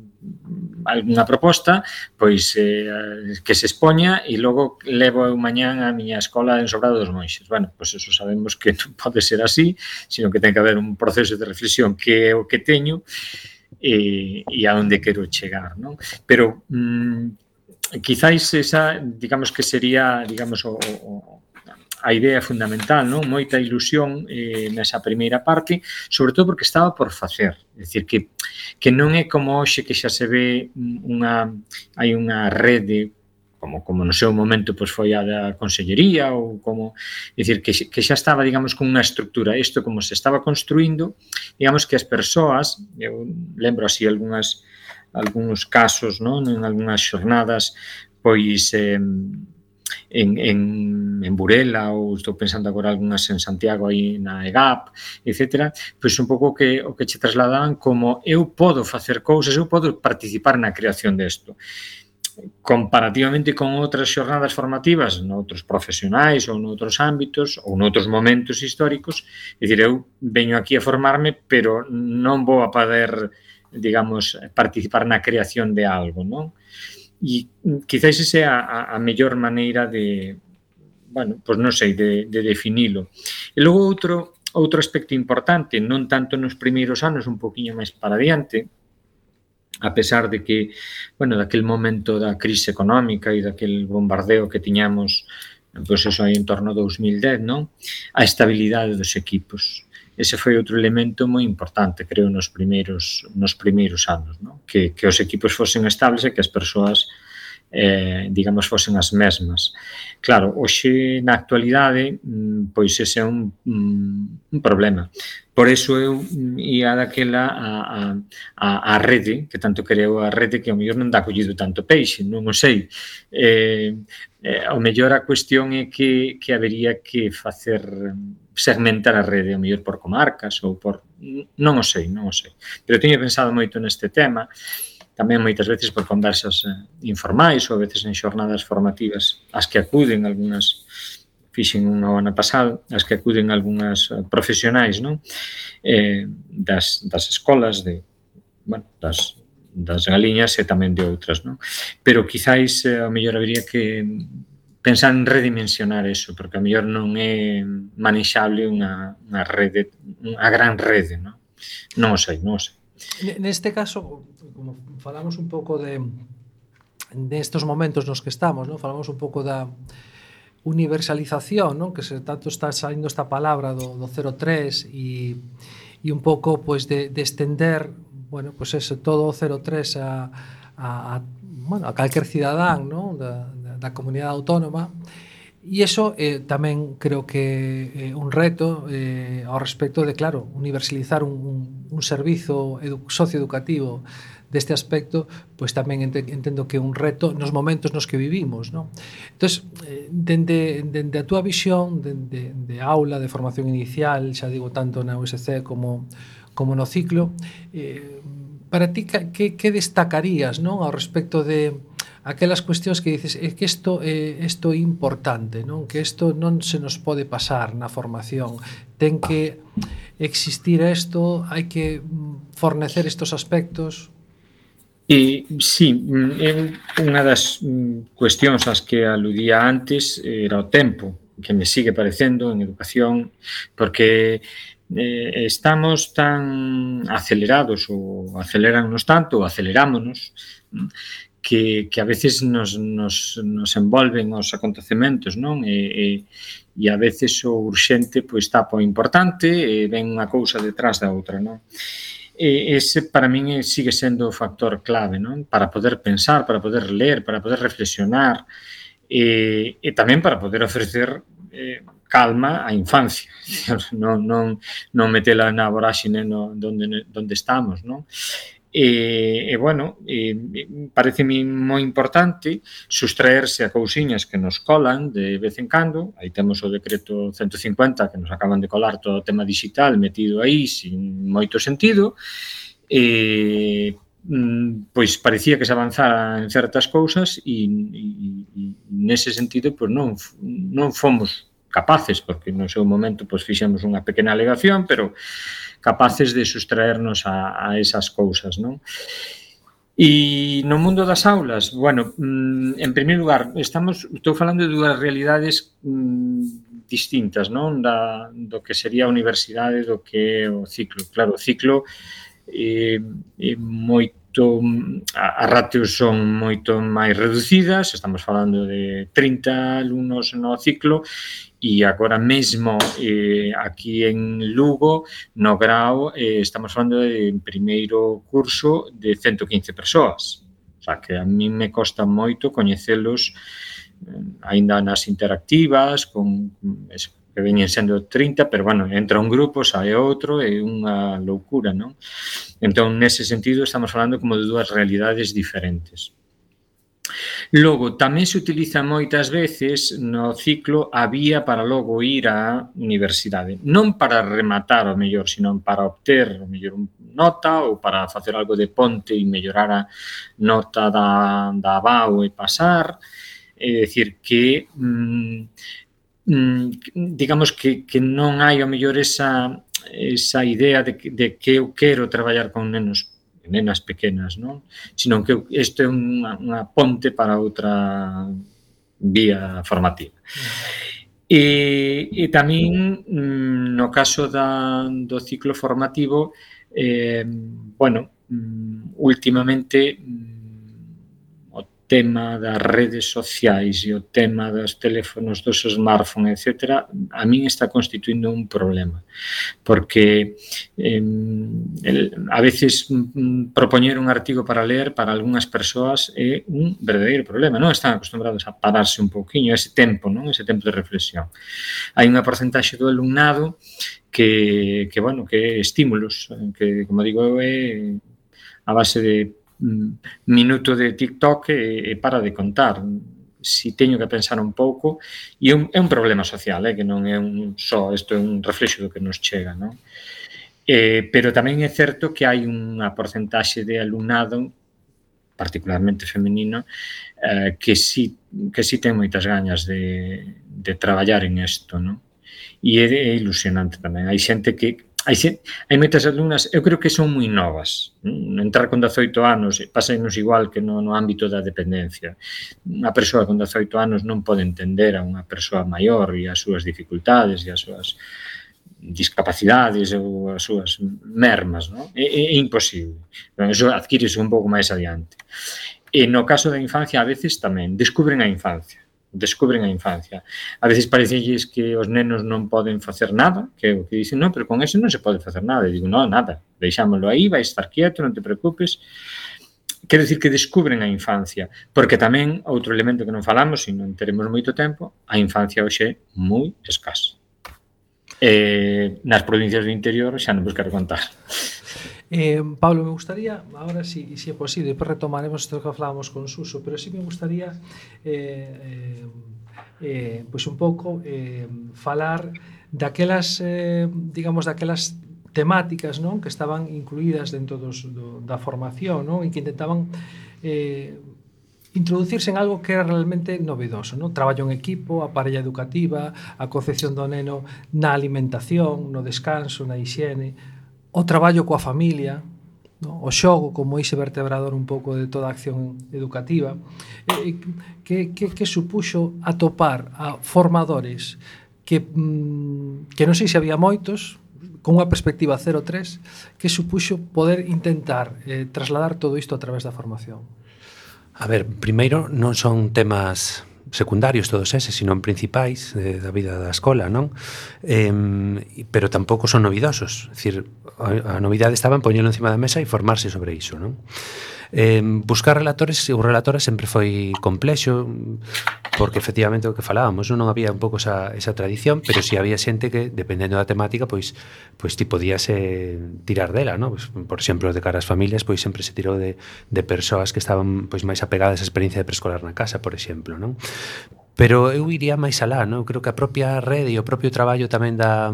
algunha proposta, pois eh, que se expoña e logo levo eu mañán a miña escola en Sobrado dos Monxes. Bueno, pois eso sabemos que non pode ser así, sino que ten que haber un proceso de reflexión que é o que teño e, e a onde quero chegar, non? Pero mm, quizáis esa, digamos que sería, digamos, o, o, a idea fundamental, non? Moita ilusión eh, nesa primeira parte, sobre todo porque estaba por facer, é dicir, que, que non é como hoxe que xa se ve unha, hai unha rede como como no seu momento pois foi a da Consellería ou como, é dicir, que, que xa estaba, digamos, con unha estructura. Isto como se estaba construindo, digamos que as persoas, eu lembro así algunhas algúns casos, non, en algunhas xornadas, pois eh, en, en, en Burela, ou estou pensando agora algunhas en Santiago aí na E G A P, etcétera, pois un pouco que o que che trasladaban como eu podo facer cousas, eu podo participar na creación desto. Comparativamente con outras xornadas formativas noutros profesionais ou noutros ámbitos ou noutros momentos históricos, é dicir, eu veño aquí a formarme, pero non vou a poder, digamos, participar na creación de algo, non? E quizáis esa é a, a mellor maneira de, bueno, pois non sei, de, de definilo. E logo outro, outro aspecto importante, non tanto nos primeiros anos, un poquinho máis para adiante, a pesar de que, bueno, daquel momento da crise económica e daquel bombardeo que tiñamos, pois eso aí en torno a dous mil dez, non? A estabilidade dos equipos. ese foi outro elemento moi importante, creo, nos primeiros nos primeiros anos, non? Que, que os equipos fosen estables e que as persoas eh, digamos, fosen as mesmas. Claro, hoxe, na actualidade, pois ese é un, un problema. Por iso eu ia daquela a, a, a rede, que tanto creo a rede, que ao mellor non dá collido tanto peixe, non o sei. Eh, eh, ao mellor a cuestión é que, que habería que facer segmentar a rede, ao mellor por comarcas ou por... Non o sei, non o sei. Pero teño pensado moito neste tema, tamén moitas veces por conversas eh, informais ou a veces en xornadas formativas as que acuden algunhas, fixen unha o ano pasado, as que acuden algunhas profesionais, non? Eh, das, das escolas, de, bueno, das, das galiñas e tamén de outras, non? Pero quizáis eh, ao mellor habería que pensar en redimensionar eso, porque ao mellor non é manexable unha, unha rede, unha gran rede, non? Non o sei, non o sei. Neste caso, como falamos un pouco de nestes momentos nos que estamos, ¿no? Falamos un pouco da universalización, ¿no? Que se tanto está saindo esta palabra do, do cero tres e e un pouco pues de, de extender, bueno, pues ese todo o cero tres a, a, a bueno, a calquer cidadán, ¿no? Da, da, da comunidade autónoma. E iso eh, tamén creo que é eh, un reto eh, ao respecto de, claro, universalizar un, un, un servizo edu socioeducativo deste aspecto, pois tamén ent entendo que é un reto nos momentos nos que vivimos, non? Entón, eh, dende, dende a túa visión de, de, de aula, de formación inicial, xa digo, tanto na U S C como, como no ciclo, eh, para ti, que, que destacarías, non? Ao respecto de aquelas cuestións que dices, é que isto é isto é importante, non? Que isto non se nos pode pasar na formación. Ten que existir isto, hai que fornecer estos aspectos. E, sí, é unha das cuestións ás que aludía antes era o tempo, que me sigue parecendo en educación, porque eh, estamos tan acelerados ou acelerannos tanto ou acelerámonos que, que a veces nos, nos, nos envolven os acontecementos, non? E, e, e a veces o urxente pois tapa o importante e ven unha cousa detrás da outra, non? E ese para min sigue sendo o factor clave, non? Para poder pensar, para poder ler, para poder reflexionar e, e tamén para poder ofrecer eh, calma á infancia, non, non, non metela na voráxine no, donde, donde estamos, non? E, e bueno, e, pareceme moi importante sustraerse a cousiñas que nos colan de vez en cando. Aí temos o decreto ciento cincuenta que nos acaban de colar todo o tema digital metido aí sin moito sentido, e pois parecía que se avanzara en certas cousas e, e, e nese sentido pois non, non fomos capaces, porque no seu momento pois fixemos unha pequena alegación, pero capaces de sustraernos a, a esas cousas, non? E no mundo das aulas, bueno, en primeiro lugar, estamos, estou falando de dúas realidades mmm, distintas, non? Da, do que sería a universidade, do que é o ciclo. Claro, o ciclo é, é moito, as ratios son moito máis reducidas, estamos falando de trinta alumnos no ciclo, e agora mesmo eh, aquí en Lugo, no grao, eh, estamos falando de en primeiro curso de ciento quince persoas. O sea, que a mí me costa moito coñecelos eh, aínda nas interactivas, con, que veñen sendo trinta, pero, bueno, entra un grupo, sae outro, é unha loucura, non? Entón, nese sentido, estamos falando como de dúas realidades diferentes. Logo, tamén se utiliza moitas veces no ciclo a vía para logo ir á universidade. Non para rematar o mellor, sino para obter o mellor nota ou para facer algo de ponte e mellorar a nota da, da A B A U e pasar. É dicir, que mm, digamos que, que non hai o mellor esa, esa idea de que, de que eu quero traballar con nenos nenas pequenas, non? Sino que isto é unha, unha ponte para outra vía formativa. E, e tamén, no caso da, do ciclo formativo, eh, bueno, últimamente o tema das redes sociais e o tema dos teléfonos, dos smartphones, etcétera, a min está constituindo un problema, porque eh, el, a veces mm, propoñer un artigo para ler para algunhas persoas é un verdadeiro problema, non están acostumbrados a pararse un pouquiño, ese tempo, non? Ese tempo de reflexión. Hai unha porcentaxe do alumnado que, que bueno, que estímulos, que, como digo, é a base de minuto de TikTok e, e para de contar. Si teño que pensar un pouco, e é un, é un problema social, eh, que non é un só, isto é un reflexo do que nos chega, non? Eh, pero tamén é certo que hai unha porcentaxe de alumnado, particularmente femenino, eh, que si, que si ten moitas gañas de, de traballar en isto, non? E é, é ilusionante tamén. Hai xente que Hai, hai moitas alumnas, eu creo que son moi novas. Entrar con dezoito anos, pasanos igual que no, no ámbito da dependencia. Unha persoa con dezoito anos non pode entender a unha persoa maior e as súas dificultades e as súas discapacidades ou as súas mermas, non? É, é, é imposible. Pero eso adquírese un pouco máis adiante. E no caso da infancia, a veces tamén descubren a infancia. descubren a infancia. A veces parecelles que os nenos non poden facer nada, que é o que dicen, non, pero con eso non se pode facer nada. E digo, non, nada, deixámoslo aí, vai estar quieto, non te preocupes. Quero dicir que descubren a infancia, porque tamén, outro elemento que non falamos, e non teremos moito tempo, a infancia hoxe é moi escasa. Eh, nas provincias do interior xa non vos quero contar. Eh, Pablo, me gustaría, ahora si, si é posible, despois retomaremos isto que falábamos con Suso, pero sí me gustaría eh, eh, pois un pouco eh, falar daquelas, eh, digamos, daquelas temáticas, non, que estaban incluídas dentro dos, do, da formación, non, e que intentaban eh, introducirse en algo que era realmente novedoso, non? Traballo en equipo, a parella educativa, a concepción do neno na alimentación, no descanso, na hixiene, o traballo coa familia, no? O xogo como ese vertebrador un pouco de toda a acción educativa, eh, que, que, que supuxo atopar a formadores que, mm, que non sei se había moitos, con unha perspectiva cero tres, que supuxo poder intentar eh, trasladar todo isto a través da formación. A ver, primeiro non son temas secundarios todos eses, sino principais eh, da vida da escola, non? Eh, pero tampouco son novidosos. É dicir, a, a novidade estaba en poñelo encima da mesa e formarse sobre iso, non? Eh, buscar relatores ou relatoras sempre foi complexo, porque efectivamente o que falábamos, non, non había un pouco esa, esa tradición, pero si había xente que, dependendo da temática, pois, pois ti podías eh, tirar dela, non? Pues, por exemplo, de cara ás familias, pois sempre se tirou de, de persoas que estaban pois máis apegadas á experiencia de preescolar na casa, por exemplo, non? Pero eu iría máis alá, non? Eu creo que a propia rede e o propio traballo tamén da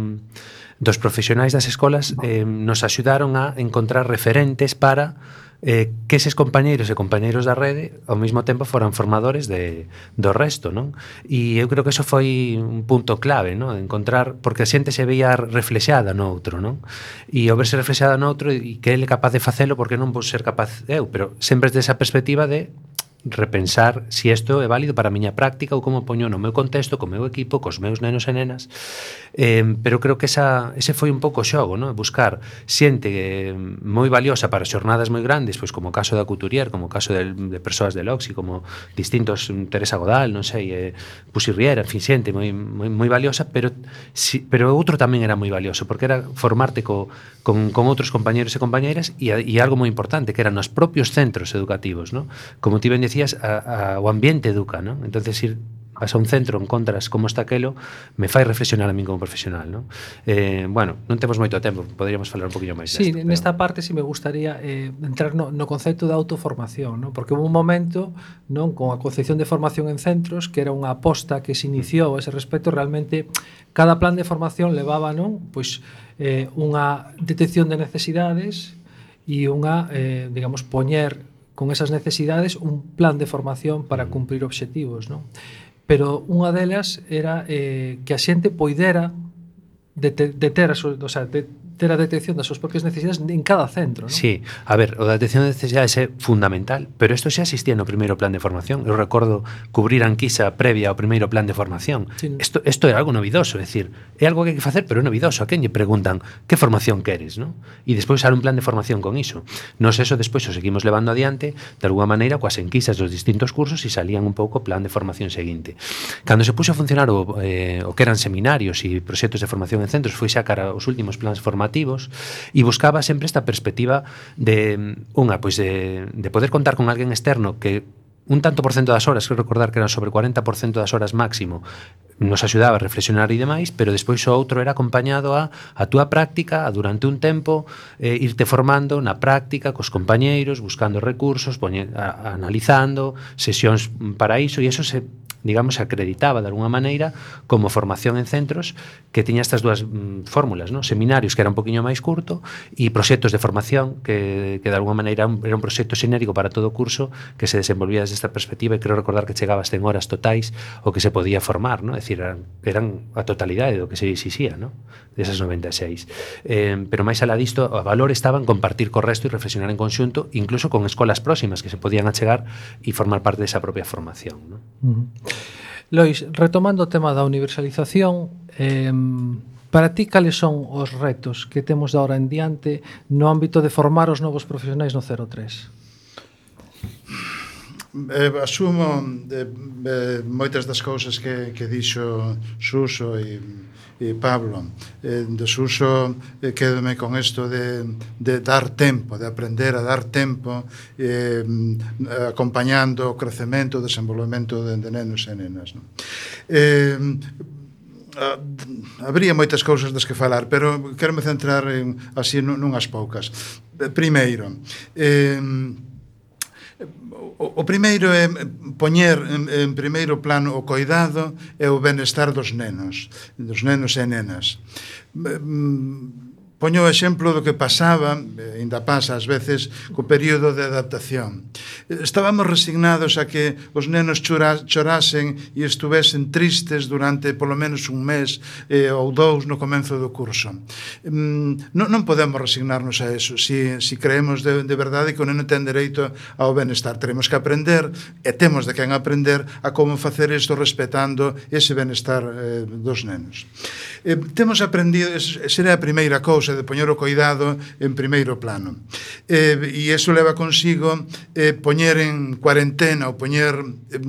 dos profesionais das escolas eh, nos axudaron a encontrar referentes para eh, que eses compañeiros e compañeiros da rede ao mesmo tempo foran formadores de, do resto, non? E eu creo que eso foi un punto clave, non? Encontrar, porque a xente se veía reflexada no outro, non? E ao verse reflexada no outro e que ele é capaz de facelo, porque non vou ser capaz eu, pero sempre desde esa perspectiva de repensar se si isto é válido para a miña práctica ou como poño no meu contexto, co meu equipo, cos meus nenos e nenas. Eh, pero creo que esa, ese foi un pouco o xogo, non? Buscar xente eh, moi valiosa para xornadas moi grandes, pois como o caso da Couturier, como o caso de, de persoas de Loxi, como distintos, Teresa Godal, non sei, eh, Pusi Riera, en fin, xente moi, moi, moi valiosa, pero, si, pero outro tamén era moi valioso, porque era formarte co, con, con outros compañeros e compañeiras e, e algo moi importante, que eran os propios centros educativos, non? Como ti ben decías, a, a, o ambiente educa, non? Entonces, ir vas a un centro, encontras como está aquelo, me fai reflexionar a min como profesional, non? Eh, bueno, non temos moito tempo, poderíamos falar un poquinho máis sí, desto. Sí, nesta pero... parte si sí me gustaría eh, entrar no, no concepto de autoformación, non? Porque houve un momento, non, con a concepción de formación en centros, que era unha aposta que se iniciou a ese respecto, realmente cada plan de formación levaba, non, pois eh, unha detección de necesidades e unha, eh, digamos, poñer con esas necesidades un plan de formación para cumprir obxectivos, non? Pero unha delas era eh, que a xente poidera de, te, de ter, o sea, de ter a detección das súas propias necesidades en cada centro, non? Sí, a ver, o da detección de necesidades é fundamental, pero isto xa existía no primeiro plan de formación. Eu recordo cubrir a enquisa previa ao primeiro plan de formación. Sí. Isto, isto é algo novidoso, é dicir, é algo que hai que facer, pero é novidoso. A quen lle preguntan que formación queres, non? E despois sale un plan de formación con iso. Nos eso despois o seguimos levando adiante de alguma maneira coas enquisas dos distintos cursos e salían un pouco o plan de formación seguinte. Cando se puxo a funcionar o, eh, o que eran seminarios e proxectos de formación en centros, foi xa cara aos últimos plans formativos e buscaba sempre esta perspectiva de unha, pois de, de poder contar con alguén externo que un tanto por cento das horas, creo recordar que eran sobre cuarenta por cento das horas máximo, nos axudaba a reflexionar e demais, pero despois o outro era acompañado a a túa práctica, a durante un tempo eh, irte formando na práctica cos compañeiros, buscando recursos, poñe, a, a, analizando sesións para iso, e eso se, digamos, acreditaba de alguna maneira como formación en centros que tiña estas dúas mm, fórmulas, ¿no? Seminarios que era un poquinho máis curto e proxectos de formación que, que de alguna maneira era un proxecto xenérico para todo o curso que se desenvolvía desde esta perspectiva, e creo recordar que chegaba a cen horas totais o que se podía formar, ¿no? É dicir, eran, eran a totalidade do que se exixía, ¿no? Desas noventa e seis. Eh, pero máis alá disto, o valor estaba en compartir co resto e reflexionar en conxunto, incluso con escolas próximas que se podían achegar e formar parte desa propia formación, ¿no? Uh-huh. Lois, retomando o tema da universalización, eh, para ti cales son os retos que temos de ahora en diante no ámbito de formar os novos profesionais no cero tres? Eh, asumo eh, eh, moitas das cousas que, que dixo Suso e, e Pablo. Eh, de Suso eh, quédome con isto de, de dar tempo, de aprender a dar tempo, eh, acompañando o crecemento, o desenvolvemento de, de nenos e nenas, non? Eh, habría moitas cousas das que falar, pero quero me centrar en, así nunhas poucas. Primeiro, eh, o, o primeiro é poñer en, en primeiro plano o coidado e o benestar dos nenos, dos nenos e nenas. Poño o exemplo do que pasaba, ainda pasa ás veces, co período de adaptación. Estábamos resignados a que os nenos chora, chorasen e estuvesen tristes durante polo menos un mes eh, ou dous no comenzo do curso. Mm, non, non podemos resignarnos a eso. Si, si creemos de, de verdade que o neno ten dereito ao benestar, teremos que aprender, e temos de quen aprender, a como facer isto respetando ese benestar eh, dos nenos. Eh, temos aprendido, será a primeira cousa, de poñer o coidado en primeiro plano. Eh, e iso leva consigo eh, poñer en cuarentena ou poñer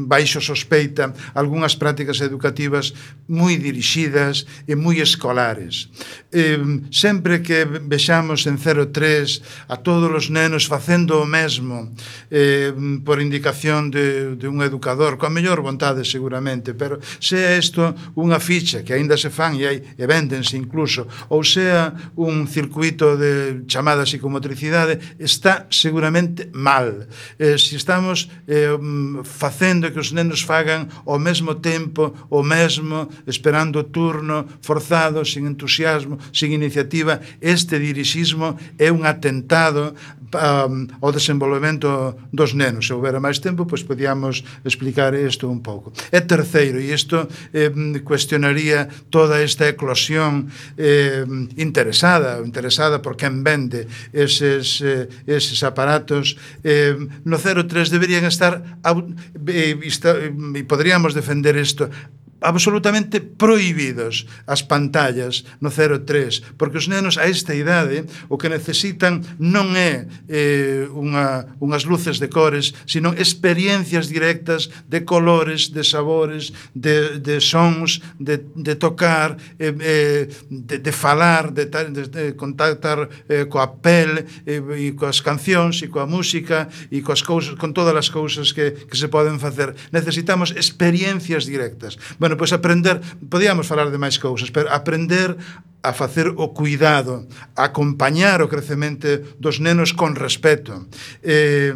baixo sospeita algunhas prácticas educativas moi dirixidas e moi escolares. Eh, sempre que vexamos en cero tres a todos os nenos facendo o mesmo eh, por indicación de, de un educador, coa mellor vontade seguramente, pero sea isto unha ficha que aínda se fan e, hai, e véndense incluso, ou sea un circuito de chamada psicomotricidade, está seguramente mal. Eh, se estamos eh, facendo que os nenos fagan ao mesmo tempo, o mesmo, esperando o turno, forzado, sin entusiasmo, sin iniciativa, este dirixismo é un atentado um, ao desenvolvemento dos nenos. Se houbera máis tempo, pois podíamos explicar isto un pouco. E terceiro, e isto eh, cuestionaría toda esta eclosión eh, interesada, interesada por quen vende eses, eh, eses aparatos, eh, no cero tres deberían estar e, e poderíamos defender isto absolutamente prohibidos as pantallas no cero tres, porque os nenos a esta idade o que necesitan non é eh, unha, unhas luces de cores, sino experiencias directas de colores, de sabores, de, de sons, de, de tocar, eh, eh, de, de falar, de, de, de contactar eh, coa pel eh, e coas cancións e coa música e coas cousas, con todas as cousas que, que se poden facer. Necesitamos experiencias directas. Bueno, pois aprender, podíamos falar de máis cousas, pero aprender a facer o cuidado, a acompañar o crecemento dos nenos con respeto, eh,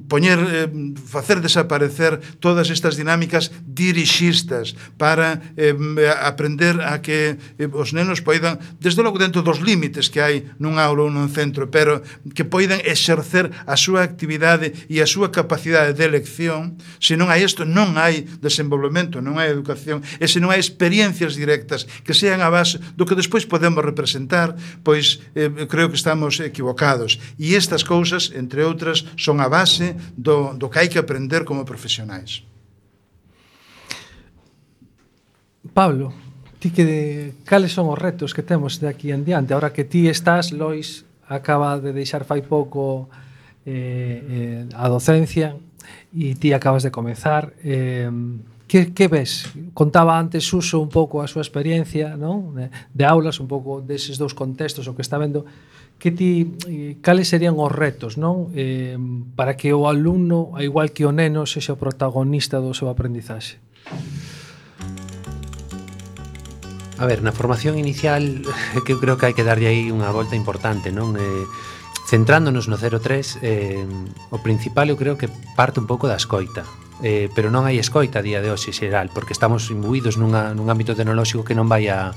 poñer, eh, facer desaparecer todas estas dinámicas dirixistas para eh, aprender a que eh, os nenos poidan, desde logo dentro dos límites que hai nun aula ou nun centro, pero que poidan exercer a súa actividade e a súa capacidade de elección. Se non hai isto, non hai desenvolvemento, non hai educación, e se non hai experiencias directas que sean a base do do que despois podemos representar, pois eh, creo que estamos equivocados. E estas cousas, entre outras, son a base do, do que hai que aprender como profesionais. Pablo, ti que de, cales son os retos que temos de aquí en diante? Ahora que ti estás, Lois acaba de deixar fai pouco eh, eh, a docencia e ti acabas de comezar, eh, que, que ves? Contaba antes Suso un pouco a súa experiencia, non? De, de aulas, un pouco deses dous contextos, o que está vendo, que ti, eh, cales serían os retos, non? Eh, para que o alumno, a igual que o neno, sexa o protagonista do seu aprendizaxe. A ver, na formación inicial que eu creo que hai que darlle aí unha volta importante, non? Eh, centrándonos no cero tres, eh, o principal eu creo que parte un pouco da escoita, eh, pero non hai escoita a día de hoxe xeral, porque estamos imbuídos nunha, nun ámbito tecnolóxico que non vai a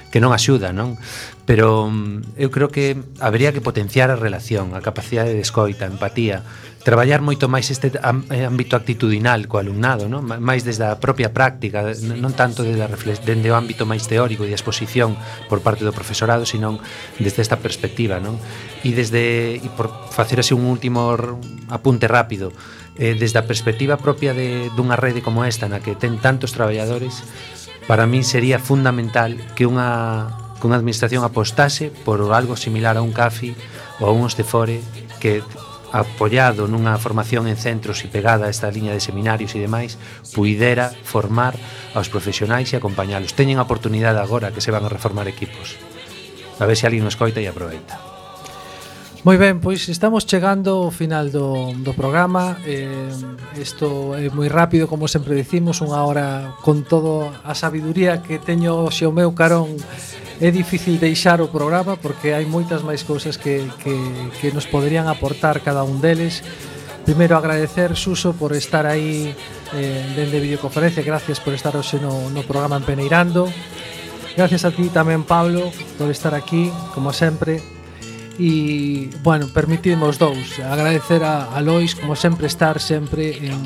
que non axuda, non? Pero eu creo que habería que potenciar a relación, a capacidade de escoita, a empatía, traballar moito máis este ámbito actitudinal co alumnado, non? Máis desde a propia práctica, non tanto desde, a reflex, desde o ámbito máis teórico e a exposición por parte do profesorado, sino desde esta perspectiva, non? E desde, e por facer así un último apunte rápido, eh, desde a perspectiva propia de, dunha rede como esta, na que ten tantos traballadores, para mí sería fundamental que unha, que unha administración apostase por algo similar a un CAFI ou a un Ostefore, que apoiado nunha formación en centros e pegada a esta liña de seminarios e demais, puidera formar aos profesionais e acompañalos. Teñen a oportunidade agora que se van a reformar equipos. A ver se alguén nos coita e aproveita. Moi ben, pois estamos chegando ao final do, do programa. eh, Isto é moi rápido, como sempre dicimos, unha hora con todo a sabiduría que teño xe o meu carón. É difícil deixar o programa porque hai moitas máis cousas que, que, que nos poderían aportar cada un deles. Primeiro agradecer, Suso, por estar aí eh, dende videoconferencia. Gracias por estar hoxe no, no programa Empeneirando. Gracias a ti tamén, Pablo, por estar aquí, como sempre. E, bueno, permitidme os dous agradecer a, a Lois, como sempre, estar sempre en,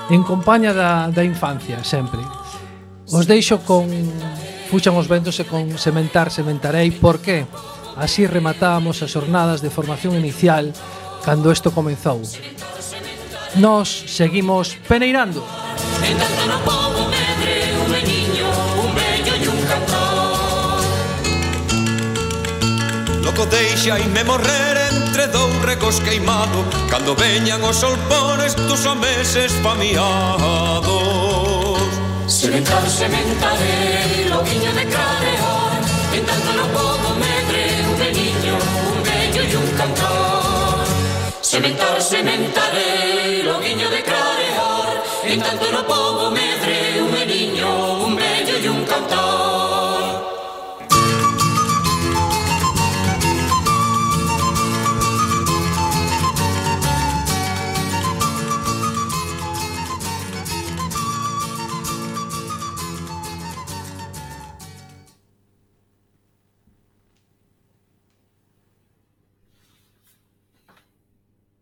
en compaña da, da infancia, sempre. Os deixo con Fuxan os ventos e con Sementar, sementarei. Por que? Así rematábamos as jornadas de formación inicial cando isto comenzou. Nos seguimos peneirando. Loco deixaime morrer entre dous regos queimado, cando veñan os solpones dos meses famiados. Sementar, sementarei, loguiño de carear, en tanto no podo medre, un veniño, un vello e un cantor. Sementar, sementarei, loguiño de carear, en tanto no podo medre, un veniño, un vello e un cantor.